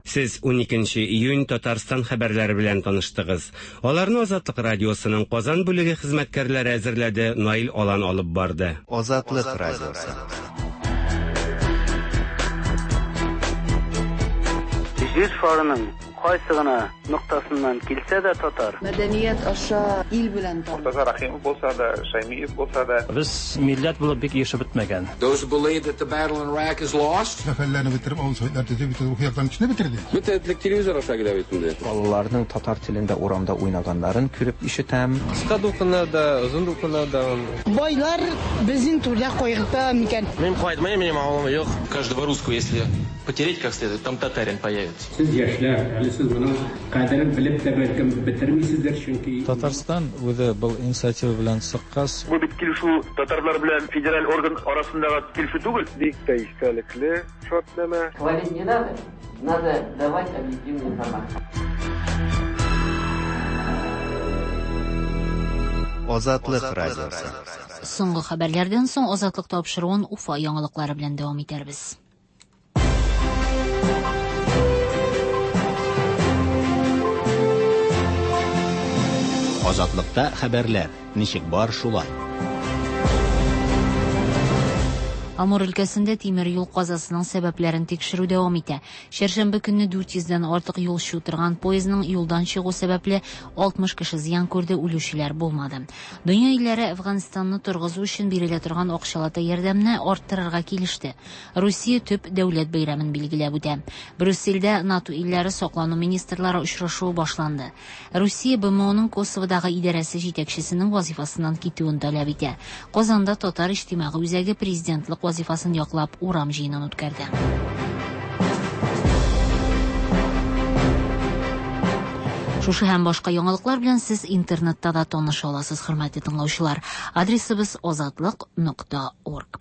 Сез уникенче июнь Татарстан хәбәрләре белән таныштыгыз. Аларны Азатлык радиосының Казан бүлеге хезмәткәрләре әзерләде, Наил Алан алып барды. Азатлык радиосы. Җир шарының кайсы гына ноктасыннан килсә дә татар. Мәдәният аша ил белән таныш. Мортаза Рахимов булса да, Шаймиев булса да. Без милләт булып бик яшәп бетмәгән. Those who believe that the battle in Iraq is lost. Сәфәрләрне бетереп, авыл советлар төзеп, бөтен рухиятларын кешене бетерде. Бөтен телевизор аша килә бит инде. Балаларның татар телендә урамда уйнаганнарын күреп ишетәм. Кыска дулкыннар да, озын дулкыннар да. Байлар безнең түрдә кайгырта микән? Мин кайтмыйм, минем авылым юк. Каждого русского, если потереть как следует, там татарин появится. Сез яшьләр, әле сез моның кадерен белеп тә бәлкем бетермисездер, чөнки Татарстан үзе был инициатива белән чыккач. Бу бит килешү татарлар белән федераль орган арасындагы килешү түгел. Бик тә истәлекле шартнамә. Хвалить не надо, надо давать объективную информацию. Азатлык радиосы. Соңгы хәбәрләрдән соң Азатлык тапшыруын Уфа яңалыклары белән дәвам итәрбез. Азатлыкта хәбәрләр. Ничек бар, шулай. Амур өлкәсендә тимер юл казасының сәбәпләрен тикшерү дәвам итә. Чәршәмбе көнне дүрт йөздән артык юлчы утырган поездның юлдан чыгу сәбәпле алтмыш кеше зыян күрде, үлүчеләр булмады. Дөнья илләре Әфганстанны торгызу өчен бирелә торган акчалата ярдәмне арттырырга килеште. Русия төп дәүләт бәйрәмен билгеләп үтә. Брюссельдә НАТО илләре саклану министрлары очрашуы башланды. Русия Б М Оның Косоводагы идарәсе җитәкчесенең вазифасыннан китүен таләп итә. Казанда Татар иҗтимагый үзәге президентлык вазифасын яклап урам җыенын үткәрде. Шушы һәм башка яңалыклар белән сез интернетта да таныша аласыз, хөрмәтле тыңлаучылар. Адресыбыз азатлык нокта орг.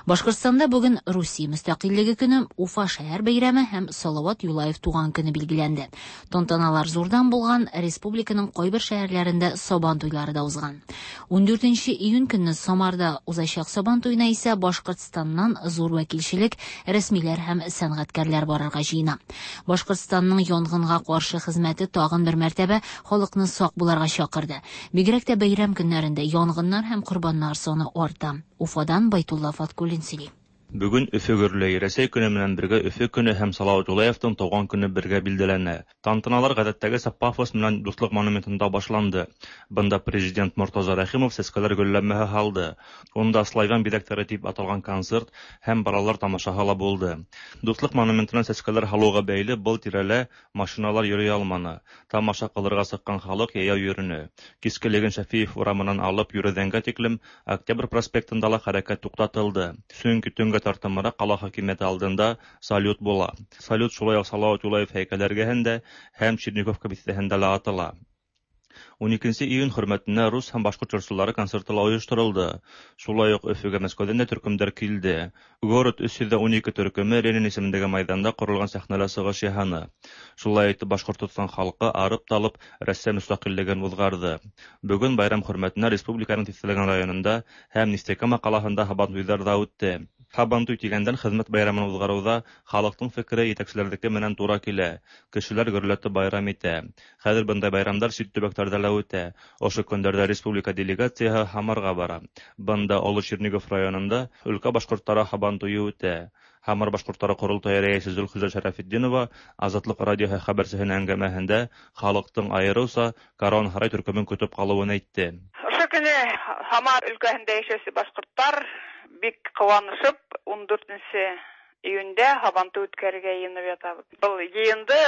Башкортстанда бүген Русия мөстәкыйльлеге көне, Уфа шәһәр бәйрәме һәм Салават Юлаев туган көне билгеләнде. Тантаналар зурдан булган, республиканың кайбер шәһәрләрендә Сабан туйлары да узган. Ундүртенче июнь көнне Самарда узачак Сабан туена исә Башкортстаннан зур вәкилчелек, рәсмиләр һәм сәнгатькәрләр барырга җыена. Башкортстанның янгынга каршы хезмәте тагын бер мәртәбә халыкны сак буларга чакырды. Бигрәк тә бәйрәм көннәрендә янгыннар һәм корбаннар саны арта. Уфадан Байтулла Фаткуллин сөйли. Бүген Өфө гөрләй. Рәсәй көне менән бергә Өфө көне һәм Салават Юлаевтың туган көне бергә билгеләнә. Тантаналар гадәттәгечә пафос менән Дуслык монументында башланды. Бында президент Мортаза Рәхимов сәскәләр гөлләмәһе һалды. Унда славян бизәкләре дип аталган концерт һәм балалар тамашаһы ла булды. Дуслык монументына сәскәләр һалуга бәйле был тирәлә машиналар йөри алманы. Тамаша кылырга чыккан халык яяу йөренә. Кискелеген Шәфиев урамыннан алып Йөрәдәнгә тиклем Октябрь проспектында ла хәрәкәт туктатылды. Чөнки төнгә тартымыра кала хакимияте алдында салют була. Салют шулай ук Салават Юлаев һәйкәле эргәһендә һәм Черниковка бистәһендә лә атыла. Уникенче июнь хөрмәтенә рус һәм башкорт җырчылары концерты ла оештырылды. Шулай ук Өфөгә Мәскәүдән дә төркемдәр килде. Город өч йөз унике төркеме Ленин исемендәге майданда корылган сәхнәлә чыгыш яһаны. Шулай итеп Башкортстан халкы арып-талып Рәсәй мөстәкыйльлеген узгарды. Бүген байрам хөрмәтенә республиканың тиҫтәләгән районында һәм Нефтекама ҡалаһында һабантуйҙар ҙа үтте. Һабантуй тигәндән хеҙмәт байрамын уҙғарыуҙа халыҡтың фекере етәкселәрҙеке менән тура килә. Кешеләр гөрләтеп байрам итә. Хәҙер бындай байрамдар сит төбәктәрҙә лә үтә. Ошо көндәрҙә республика делегацияһы Һамарға бара. Бында Оло Чернигов районында өлкә башҡорттары һабантуйы үтә. Һамар башҡорттары ҡоролтайы рәйесе Зөлхизә Шәрәфетдинова Азатлыҡ радиоһы хәбәрсеһенең әңгәмәһендә халыҡтың айырыуса Каруан һарай төркөмөн көтөп ҡалыуын әйтте. Ошо көнө Һамар өлкәһендә йәшәүсе башҡорттар бик ҡыуанышып ун дүртенсе июндә һабантуй үткәрергә йыйынып ятабыҙ. Был йыйынды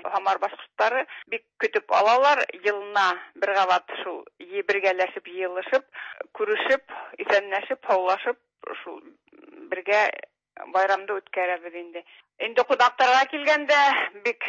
Һамар башҡорттары бик көтөп алалар. Йылына бер ҡабат шул бергәләшеп, йыйылышып, күрешеп, иҫәнләшеп, һаулашып шул бергә байрамды үткәрәбеҙ инде. Инде ҡунаҡтарға килгәндә бик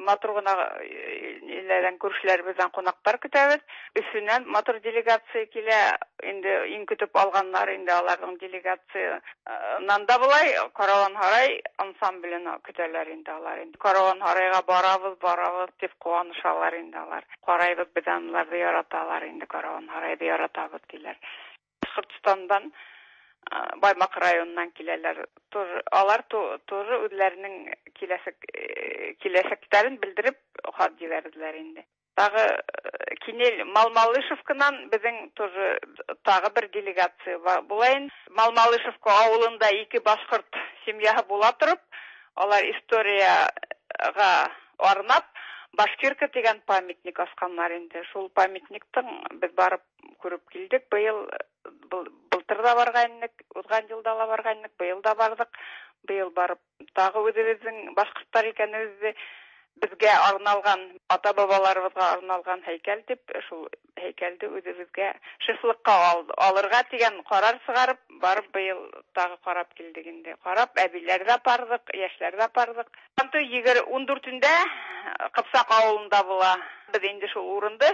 матур ғына иләрҙән, күршеләребеҙҙән ҡунаҡтар көтәбеҙ. Өфөнән матур делегация килә. Инде иң көтөп алғаннар инде аларҙың делегациянан да былай Каруан һарай ансамблен көтәләр инде алар. Инде Каруан һарайға барабыҙ, барабыҙ тип ҡыуанышалар инде алар. Ҡарайбыҙ, беҙ анларҙы яраталар инде, Каруан һарайҙы яратабыҙ тиләр. Башкортостандан, Баймак районыннан киләләр. Тоже алар тоже үзләренең киләчәк киләчәкләрен белдереп хат җибәрделәр инде. Тагы Кинель Малмалышевкадан безнең тоже тагы бер делегация була инде. Малмалышевка авылында ике башкорт семьясы була торып, алар историяга арнап Башкирка дигән памятник асканнар инде. Шул памятниктың без барып күреп килдек. Быел былтыр да барган идек, узган елда да барган идек, быел да бардык. Быел барып тагы үзебезнең башкортлар икәнебезне безгә арналган, ата-бабаларыбызга арналган һәйкәл дип, шул һәйкәлде үзебезгә шефлыкка алырга дигән карар чыгарып, барып быел тагы карап килдек инде. Карап, әбиләр дә бардык, яшьләр дә бардык. Егерме дүртендә Кыпсак авылында була. Без инде шул урынды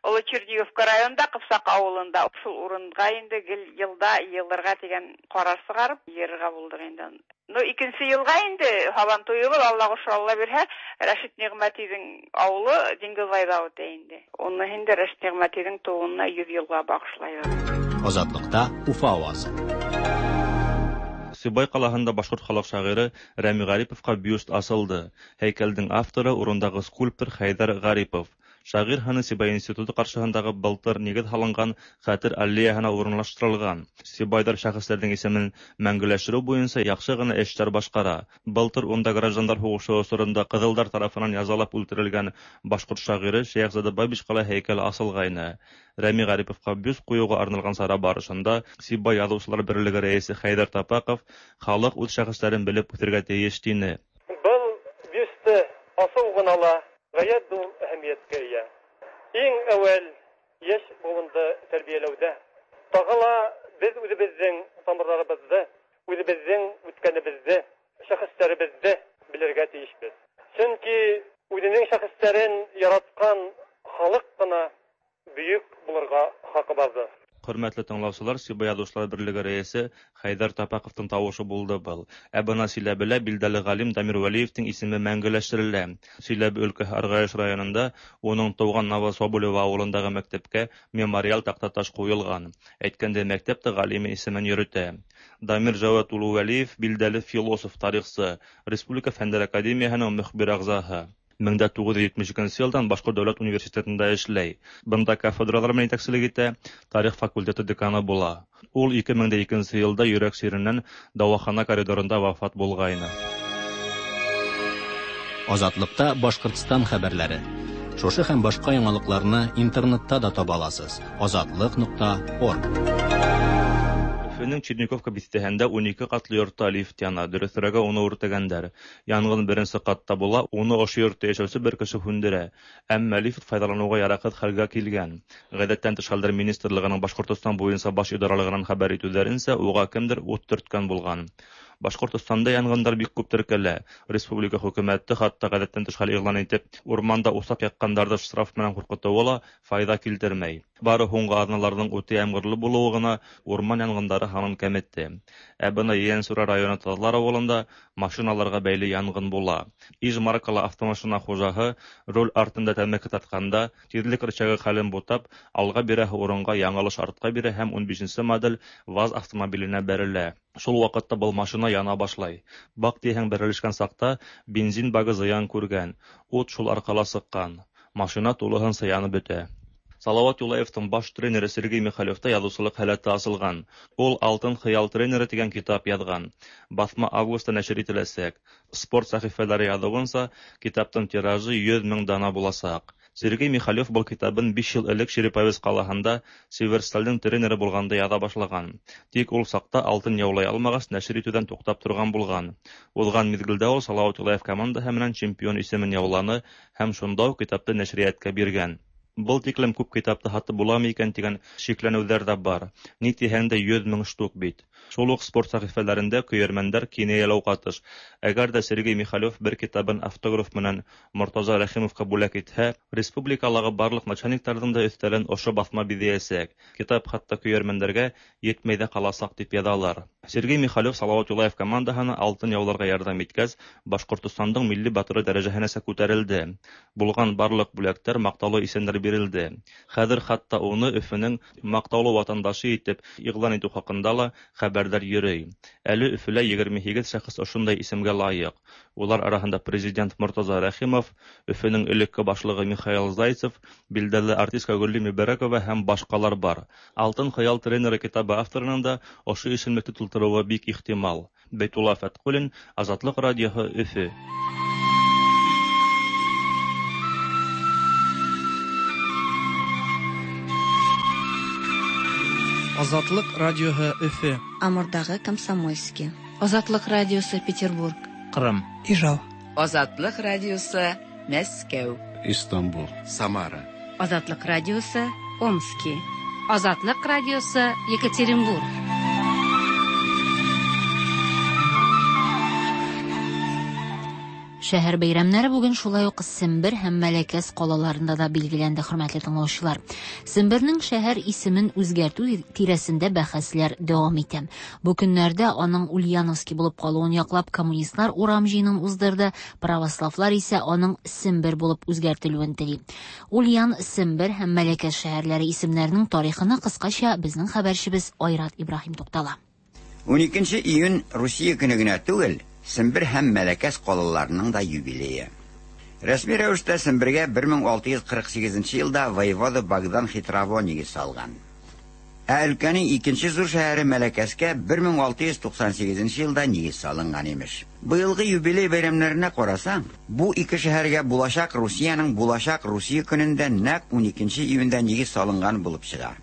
Олы Черниговка районында Кыпсак авылында шул урынга инде гел елда елларга дигән карар чыгарып йөрергә булдык инде. Ну, икенче елга инде Һабан туе был, Аллага шөкер, Алла бирһә, Рәшит Ниғмәтиҙең ауылы Диңгеҙбайҙа үтә инде. Уны инде Рәшит Ниғмәтиҙең тыуыуына йөҙ йылға бағышлайбыҙ. Азатлыкта Уфа авазы. Сибай ҡалаһында башҡорт халыҡ шағиры Рәми Ғариповҡа бюст асылды. Һәйкәлдең авторы урындағы скульптор Хәйҙәр Ғарипов. Шағир һыны Сибай институты ҡаршыһындағы былтыр нигеҙ һалынған хәтер аллеяһына урынлаштырылған. Сибайҙар шәхестәрҙең исемен мәңгеләштереү буйынса яҡшы ғына эштәр башҡара. Былтыр унда граждандар һуғышы осоронда ҡыҙылдар тарафынан язалап үлтерелгән башҡорт шағиры Шәйехзада Бабичҡа ла һәйкәл асылғайны. Рәми Ғариповҡа бюст ҡуйыуға арналған сара барышында Сибай яҙыусылар берлеге рәйесе Хәйҙәр Тапаҡов халыҡ үҙ шәхестәрен белеп үҫергә тейеш тине. Был бюсты асыу ғына ла ғәйәт ҙур әһәмиәткә эйә. Иң әүәл йәш быуынды тәрбиәләүҙә. Тағы ла беҙ үҙебеҙҙең тамырҙарыбыҙҙы, үҙебеҙҙең үткәнебеҙҙе, шәхестәребеҙҙе белергә тейешбеҙ. Сөнки үҙенең шәхестәрен яратҡан халыҡ ҡына бөйөк булырға хаҡы барҙыр. Хөрмәтле тыңлаусылар, Сибай яҙыусылар берлеге рәйесе Хәйҙәр Тапаҡовтың тауышы булды был. Ә бына Силәбелә билдәле ғалим Дамир Вәлиевтең исеме мәңгеләштерелә. Силәбе өлкәһе Арғайыш районында уның тыуған Новособолево ауылындағы мәктәпкә мемориал таҡтаташ ҡуйылған. Әйткәндәй, мәктәп тә ғалим исемен йөрөтә. Дамир Жауат улы Вәлиев билдәле философ, тарихсы, Республика Фәндәр академияһының мөхбир ағзаһы. мең дә туғыҙ йөҙ етмеш икенсе йылдан Башҡорт дәүләт университетында эшләй. Бында кафедралар менән етәкселек итә, тарих факультеты деканы була. Ул ике мең дә икенсе йылда йөрәк сиренән дауахана коридорында вафат булғайны. Азатлыкта Башҡортостан хәбәрләре. Шушы һәм башҡа яңалыҡларны интернетта да таба аласыз. азатлык нуҡта орг. Өфөнөң Черниковка биҫтәһендә ун ике ҡатлы йортта лифт яна, дөрөҫөрәге уны үртәгәндәр. Янғын беренсе ҡатта була, уны ошо йортта йәшәүсе бер кеше һүндерә. Әммә лифт файҙаланыуға яраҡһыҙ хәлгә килгән. Ғәҙәттән тыш хәлдәр министрлығының Башҡортостан буйынса баш идаралығынан хәбәр итеүҙәренсә, уға кемдер ут төрткән булған. Башҡортостанда янғындар бик күп теркәлә. Республика хөкүмәте хатта ғәҙәттән тыш хәл иғлан итеп, урманда усаҡ яҡҡандарҙы штраф менән ҡурҡытыуы ла файҙа килтермәй. Бары һуңғы аҙналарҙың үтә ямғырлы булыуы ғына урман янғындары һанын кәметте. Ә бына Ейәнсура районы Таҙлар ауылында машиналарға бәйле янғын була. Иж маркалы автомашина хужаһы руль артында тәмәке тартҡанда тиҙлек рычагы хәлен бутап, алға бирәһе урынға яңылыш артҡа бирә һәм ун бишенсе модель ВАЗ автомобиленә бәрелә. Шул ваҡытта был машина яна башлай. Баҡ тиһәң, бәрелешкән саҡта бензин багы зыян күргән, ут шул арҡала сыҡҡан. Машина тулыһынса янып бөтә. Салават Юлаевтың баш тренеры Сергей Михалевта яҙыусылыҡ һәләте асылған. Ул «Алтын хыял тренеры» тигән китап яҙған. Баҫма августта нәшер ителәсәк. Спорт сәхифәләре яҙыуынса, китаптың тиражы йөҙ мең дана буласаҡ. Сергей Михалев был китабын биш йыл элек Череповец ҡалаһында Северсталдың тренеры булғанда яҙа башлаған. Тик ул саҡта алтын яулай алмағас, нәшер итеүҙән туҡтап торған булған. Уҙған миҙгелдә ул Салават Юлаев командаһы менән чемпион исемен яуланы һәм шунда уҡ китапты нәшриәткә биргән. Был тиклем күп китапты һатып буламы икән тигән шикләнеүҙәр ҙә бар. Ни тиһәң дә йөҙ мең штук бит. Шул уҡ спорт сәхифәләрендә көйәрмәндәр кинәйәләү ҡатыш. Әгәр ҙә Сергей Михалев бер китабын автограф менән Мортаза Рәхимовҡа бүләк итһә, республикалағы барлыҡ начальниктарҙың да өҫтәлен ошо баҫма биҙәйәсәк. Китап хатта көйәрмәндәргә етмәй ҙә ҡаласаҡ тип яҙалар. Сергей Михалев Салават Юлаев командаһына алтын яуларға ярҙам иткәс, Башҡортостандың милли батыры дәрәжәһенәсә күтәрелде. Булған барлыҡ бүләктәр, маҡтаулы исемдәр бирелде. Хәҙер хатта уны Өфөнөң маҡтаулы ватандашы итеп иғлан итеү хаҡында ла хәбәрҙәр йөрөй. Әле Өфөлә егерме һигеҙ шәхес ошондай исемгә лайыҡ. Улар араһында президент Мортаза Рәхимов, Өфөнөң элекке башлығы Михаил Зайцев, билдәле артистка Гөлли Мөбәрәкова һәм башҡалар бар. Алтын хыял тренеры китабы авторының да ошо исемлекте тултырыуы бик ихтимал. Бәйтулла Фәтҡуллин, Азатлыҡ радиоһы, Өфө. Азатлык радиоһы, Өфө. Амурдағы Комсомольский. Азатлык радиосы, Петербург. Ҡырым. Ижау. Азатлык радиосы, Мәскәү. Истанбул. Самара. Азатлык радиосы, Омский. Азатлык радиосы, Екатеринбург. Шәһәр бәйрәмнәре бүген шулай ук Сембер һәм Мәләкәс ҡалаларында да билгеләнде, хөрмәтле тыңлаучылар. Сембернең шәһәр исемен үзгәртү тирәсендә бәхәсләр дәвам итә. Бу көннәрдә аның Ульяновский булып калуын яклап коммунистлар урам җыенын уздырды, православлар исә аның Сембер булып үзгәртелүен тели. Ульян, Сембер һәм Мәләкәс шәһәрләре исемнәренең тарихына кыскача безнең хәбәрчебез Айрат Ибраһим туктала. ун икенче июнь Русия көне генә түгел, Сембер һәм Мәләкәс ҡалаларының да юбилее. Рәсми рәүештә Сембергә бер мең алты йөҙ ҡырҡ һигеҙенсе йылда воевода Богдан Хитрово нигеҙ салған. Ә өлкәнең икенсе ҙур шәһәре Мәләкәскә бер мең алты йөҙ туҡһан һигеҙенсе йылда нигеҙ салынған имеш. Быйылғы юбилей бәйрәмнәренә ҡарасаң, бу ике шәһәргә буласаҡ Русияның буласаҡ Русия көнөндә нәҡ ун икенсе июндә нигеҙ салынған булып сыға.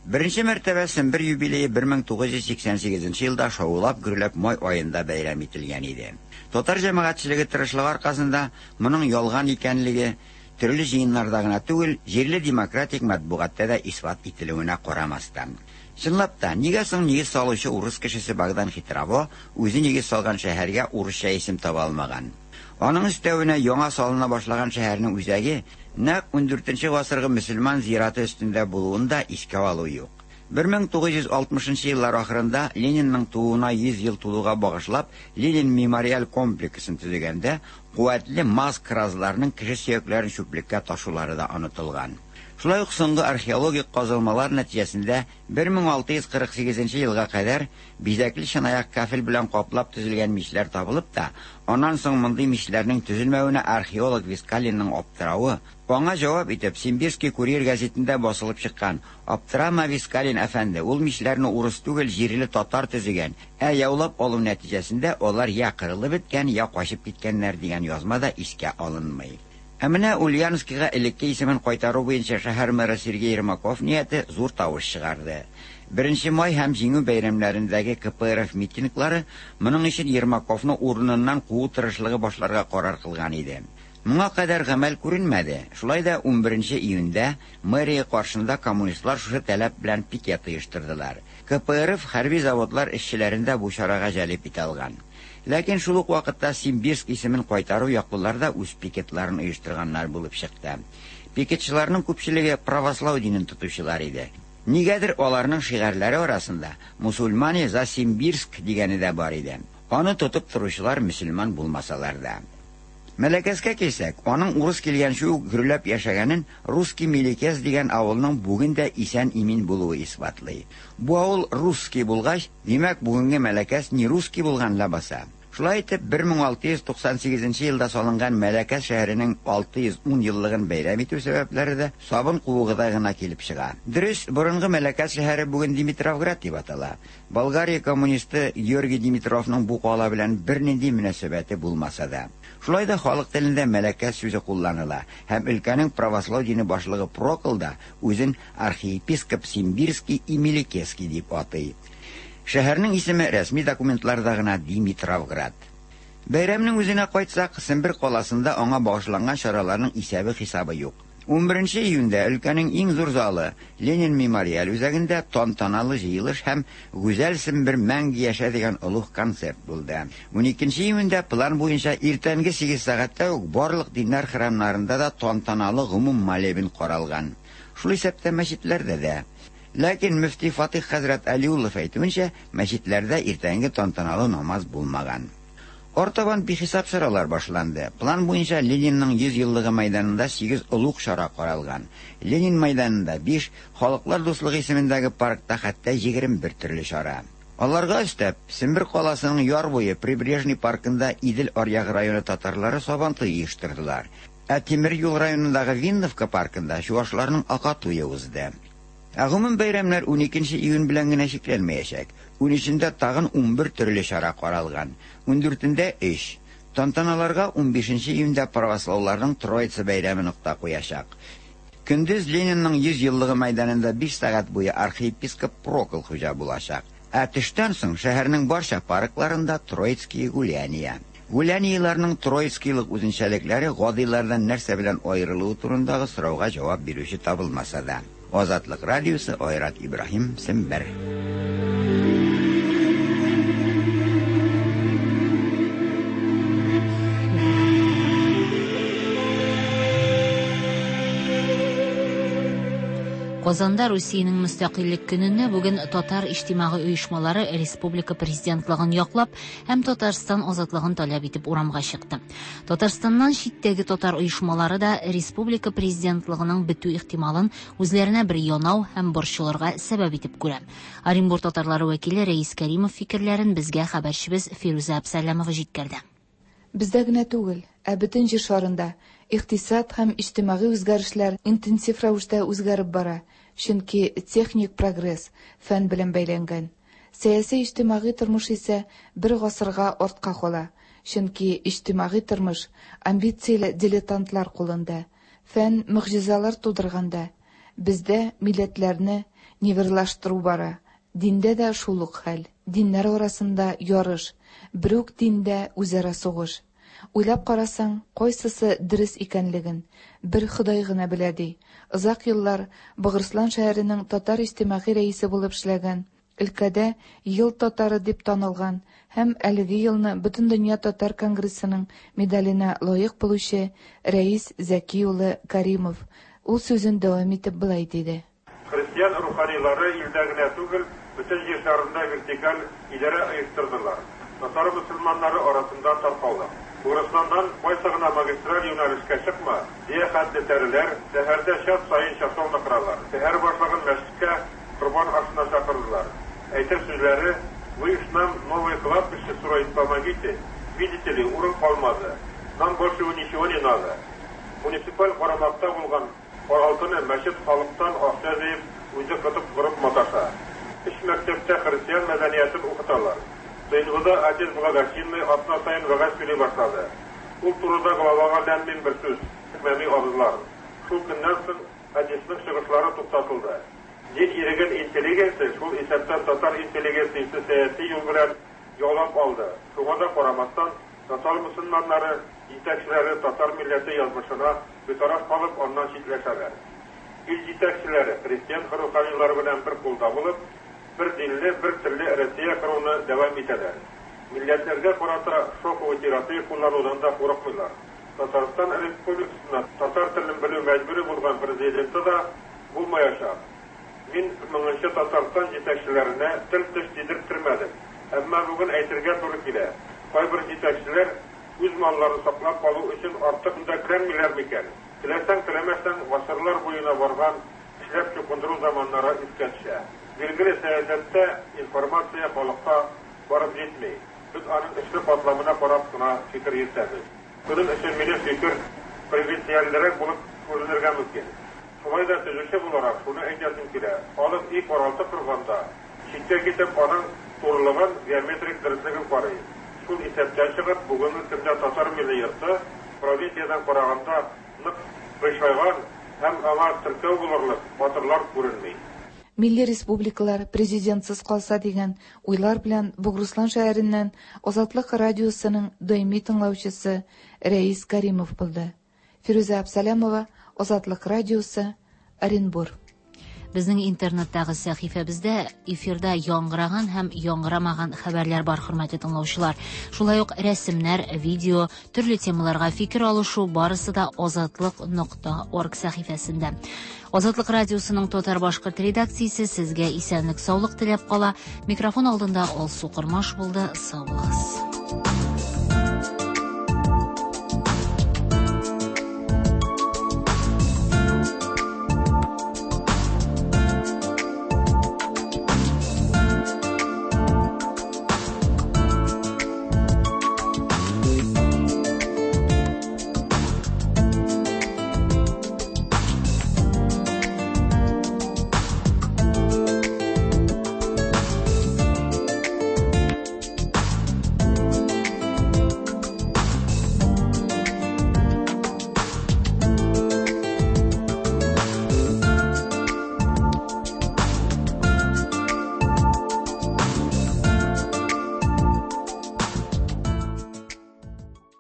Беренсе мәртәбә Сембер юбилейы бер мең туғыҙ йөҙ һикһән һигеҙенсе йылда шаулап гөрләп май айында бәйрәм ителгән иде. Татар җәмәгатьчелеге тырышлыгы арҡаһында моның ялған икәнлеге төрлө җыйыннарда гына түгел, җирле демократик матбугатта да исбат ителүенә ҡарамастан. Чынлап та, нигә соң нигеҙ салыусы урыс кешесе Богдан Хитрово үҙе нигеҙ салған шәһәргә урысса исем таба алмаған? Аның өҫтәүенә яңа салына башлаған шәһәрнең үзәге нәҡ ун дүртенсе ғасырғы мөселман зираты өҫтөндә булыуын да иҫкә алыу юҡ. бер мең туғыҙ йөҙ алтмышынсы йылдар ахырында Ленинның тыуыуына йөҙ йыл тулыуға бағышлап Ленин мемориаль комплексын төҙөгәндә ҡеүәтле маз кразларының кеше сөйәктәрен сүплеккә ташыулары да онотолған. Шулай уҡ һуңғы археологик ҡаҙылмалар нәтижәһендә бер мең алты йөҙ ҡырҡ һигеҙенсе йылға ҡәҙәр биҙәкле сынаяҡ кафель белән ҡаплап төҙөлгән мишләр табылып та, анан һуң мындай мишләрнең төҙөлмәүенә археолог Вискалинның аптырауы, аңа жауап итеп Симбирский курьер гәзитендә басылып сыҡҡан «Аптырама, Вискалин әфәнде, ул мишләрне урыҫ түгел, җирле татар төҙөгән, ә яулап алыу нәтижәһендә алар я ҡырылып бөткән, я ҡасып киткәннәр» дигән язма да иҫкә алынмай. Ә менә Ульяновскиға элекке исемен ҡайтарыу буйынса шәһәр мэры Сергей Ермаков ниәте ҙур тауыш сығарҙы. Беренсе май һәм Җиңү бәйрәмнәрендәге К П Р Ф митинглары моның өсөн Ермаковны урынынан ҡыуыу тырышлығы башларға ҡарар ҡылған ине. Моңа ҡәҙәр ғәмәл күренмәде. Шулай да ун беренсе июндә мэрия ҡаршында коммунистлар шушы таләп белән пикет ойошторҙолар. К П Р Ф хәрби заводлар эшселәрен дә бу чарага җәлеп итә алган. Ләкин шул ук ваҡытта Симбирск исемен ҡайтарыу яҡлылар да үҙ пикетларын ойошторғаннар булып сыҡты. Пикетчыларның күпселеге православ динен тотоусылар ине. Нигәдер аларның шиғарлары арасында «Мусульмане за Симбирск» дигәне дә бар ине. Аны тотоп торучылар мөселман булмасалар да. Мәләкәскә килсәк, аның урыс килгәнче үк гөрләп яшәгәнен Русский Мелекес дигән авылның бүген дә исән-имин булуы исбатлый. Бу авыл русский булгач, димәк, бүгенге Мәләкәс не русский булган лабаса. Шулай итеп, бер мең алты йөҙ туҡһан һигеҙенсе йылда салынған Мәләкәс шәһәренең алты йөҙ ун йыллығын бәйрәм итеү сәбәпләре дә сабын ҡыуығыҙа ғына килеп сыға. Дөрөҫ, боронғо Мәләкәс шәһәре бүген Димитровград тип атала. Болгария коммунисты Георгий Димитровның бу ҡала белән бер ниндәй мөнәсәбәте булмаса да. Шулай да халыҡ телендә Мәләкәс сүзе ҡулланыла һәм өлкәнең православ дине башлығы Прокл да үҙен архиепископ Симбирский и Мелекесский тип атый. Шәһәрнең исеме рәсми документларда ғына Димитровград. Бәйрәмнең үзенә ҡайтсаҡ, Сембер ҡаласында аңа бағышланған сараларның иҫәбе-хисабы юҡ. ун беренсе июндә өлкәнең иң ҙур залы Ленин мемориаль үзәгендә тантаналы йыйылыш һәм Гүзәл Сембер мәңге йәшә дигән олуғ концерт булды. ун икенсе июндә план буйынса иртәнге һигеҙ сәғәттә үк барлыҡ диннәр храмнарында да тантаналы ғөмүм молебен ҡаралған. Шул иҫәптә мәсетләрҙә дә. Ләкин мөфти Фатих хәҙрәт Алиуллов әйтеүенсә, мәсетләрҙә иртәнге тантаналы намаз булмаған. Артабан бихисап чаралар башланды. План буенча Ленинның йөз еллыгы мәйданында сигез олуг чара каралган. Ленин мәйданында биш, Халыклар дуслыгы исемендәге паркта хәтта егерме бер төрле чара. Аларга өстәп, Сембер каласының яр буе Прибрежный паркында Идел аръягы районы татарлары сабантуй оештырдылар. Ә Тимер юл районындагы Винновка паркында чуашларның Акатуе узды. Ә гомум бәйрәмнәр уникенче июнь белән генә чикләнмәячәк. Унөчендә тагын унбер төрле чара каралган. Ундүртендә өч. Тантаналарга унбишенче июньдә правослауларның Троица бәйрәме нокта куячак. Көндез Ленинның йөз еллыгы мәйданында биш сәгать буе архиепископ Прокол хуҗа булачак. Ә төштән соң шәһәрнең барча паркларында Троицкие гуляния. Гулянияләрнең троицкийлык үзенчәлекләре гадиләрдән нәрсә белән аерылуы турындагы сорауга җавап бирүче табылмаса да. Азатлык радиосы, Айрат Ибраһим, Сембер. Казанда Русиянең мөстәкыйльлек көненә бүген татар иҗтимагый оешмалары республика президентлыгын яклап һәм Татарстан азатлыгын таләп итеп урамга чыкты. Татарстаннан читтәге татар оешмалары да республика президентлыгының бетү ихтималын үзләренә бер янау һәм борчылырга сәбәп итеп күрә. Оренбур татарлары вәкиле Рәис Кәримов фикерләрен безгә хәбәрчебез Фирүзә Абсалямова җиткерде. Бездә генә түгел, ә бөтен җир шарында икътисад һәм иҗтимагый үзгәрешләр интенсив рәвештә үзгәреп бара, чөнки техник прогресс фән белән бәйләнгән. Сәяси иҗтимагый тормыш исә бер гасырга артка кала, чөнки иҗтимагый тормыш амбицияле дилетантлар кулында. Фән могҗизалар тудырганда, бездә милләтләрне нивелирлаштыру бара. Диндә дә шул ук хәл. Диннәр арасында ярыш, бер үк диндә үзара сугыш. Уйлап карасаң, кайсысы дөрес икәнлеген бер Ходай гына белә ди. Озак еллар Богырыслан шәһәренең татар иҗтимагый рәисе булып эшләгән, өлкәдә ел татары дип танылган һәм әлеге елны Бөтендөнья татар конгрессының медаленә лаек булучы Рәис Зәки улы Каримов ул сүзен дәвам итеп былай диде. Христиан руханилары илдә генә түгел, бөтен җир шарында вертикаль идарә оештырдылар. Татар мөселманнары арасында таркалды. Богырысланнан кайсы гына магистраль юнәлешкә чыкма, дия хәтле тәреләр шәһәрдә час саен часовня коралар. Шәһәр башлыгын мәчеткә корбан ашына чакырдылар. Әйтер сүзләре: "Вы ж нам новое кладбище строить помогите, видите ли, урын калмады. Нам больше ничего не надо". Муниципаль карамакта булган каралтыны мәчет халыктан акча җыеп, үзе кытып корып маташа. Өч мәктәптә христиан мәдәниятен укыталар. Сыйнфыда отец благочинный атна сайын вәгазь сөйли башлады. Ул турыда главага ләм-мим бер сүз әйтмәми абзылар. Шул көннән соң отецның чыгышлары туктатылды. Дин иреген интеллигенция, шул исәптән татар интеллигенциясе сәяси юл белән яулап алды. Шуңа да карамастан, татар мөселманнары җитәкчеләре татар милләте язмышына битараф калып, аннан читләшәләр. Ил җитәкчеләре христиан руханилары белән бер кулда булып, бер динле, бер телле Россия коруны дәвам итәләр. Милләтләргә карата шоковый терапия кулланудан да курыкмыйлар. Татарстан Республикасында татар телен белү мәҗбүри булган президенты да булмаячак. Мин моңынчы Татарстан җитәкчеләренә тел-теш тидерттермәдем. Әмма бүген әйтергә туры килә. Кайбер җитәкчеләр үз малларын саклап калу өчен артык мөдәкләнмиләр микән? Теләсәң, теләмәсәң, гасырлар буена барган эшләп чукындыру заманнары искә төшә. Билгеле сәясәттә информация халыкка барып җитми. Без аның эшле катламына карап кына фикер йөртәбез. Шуның өчен минем фикер провинциальрәк булып күренергә мөмкин. Шулай да төзүче буларак шуны әйтәсем килә. Халык өй каралты корганда, читкә китеп аның турылыгын, геометрик дөреслеген карый. Шул исәптән чыгып, бүгенге көндә татар милли йорты провинциядән караганда нык кыйшайган һәм аңа теркәү булырлык батырлар күренми. Милли республикалар президентсыз калса дигән уйлар белән Богырыслан шәһәреннән Азатлык радиосының даими тыңлаучысы Рәис Каримов булды. Фирүзә Абсалямова, Азатлык радиосы, Оренбур. Безнең интернеттагы сәхифәбездә эфирда яңгыраган һәм яңгырамаган хәбәрләр бар, хөрмәтле тыңлаучылар. Шулай ук рәсемнәр, видео, төрле темаларга фикер алышу барысы да азатлык нокта орг сәхифәсендә. Азатлык радиосының татар-башкорт редакциясе сезгә исәнлек, саулык теләп кала. Микрофон алдында Алсу Кормаш булды. Сау булыгыз.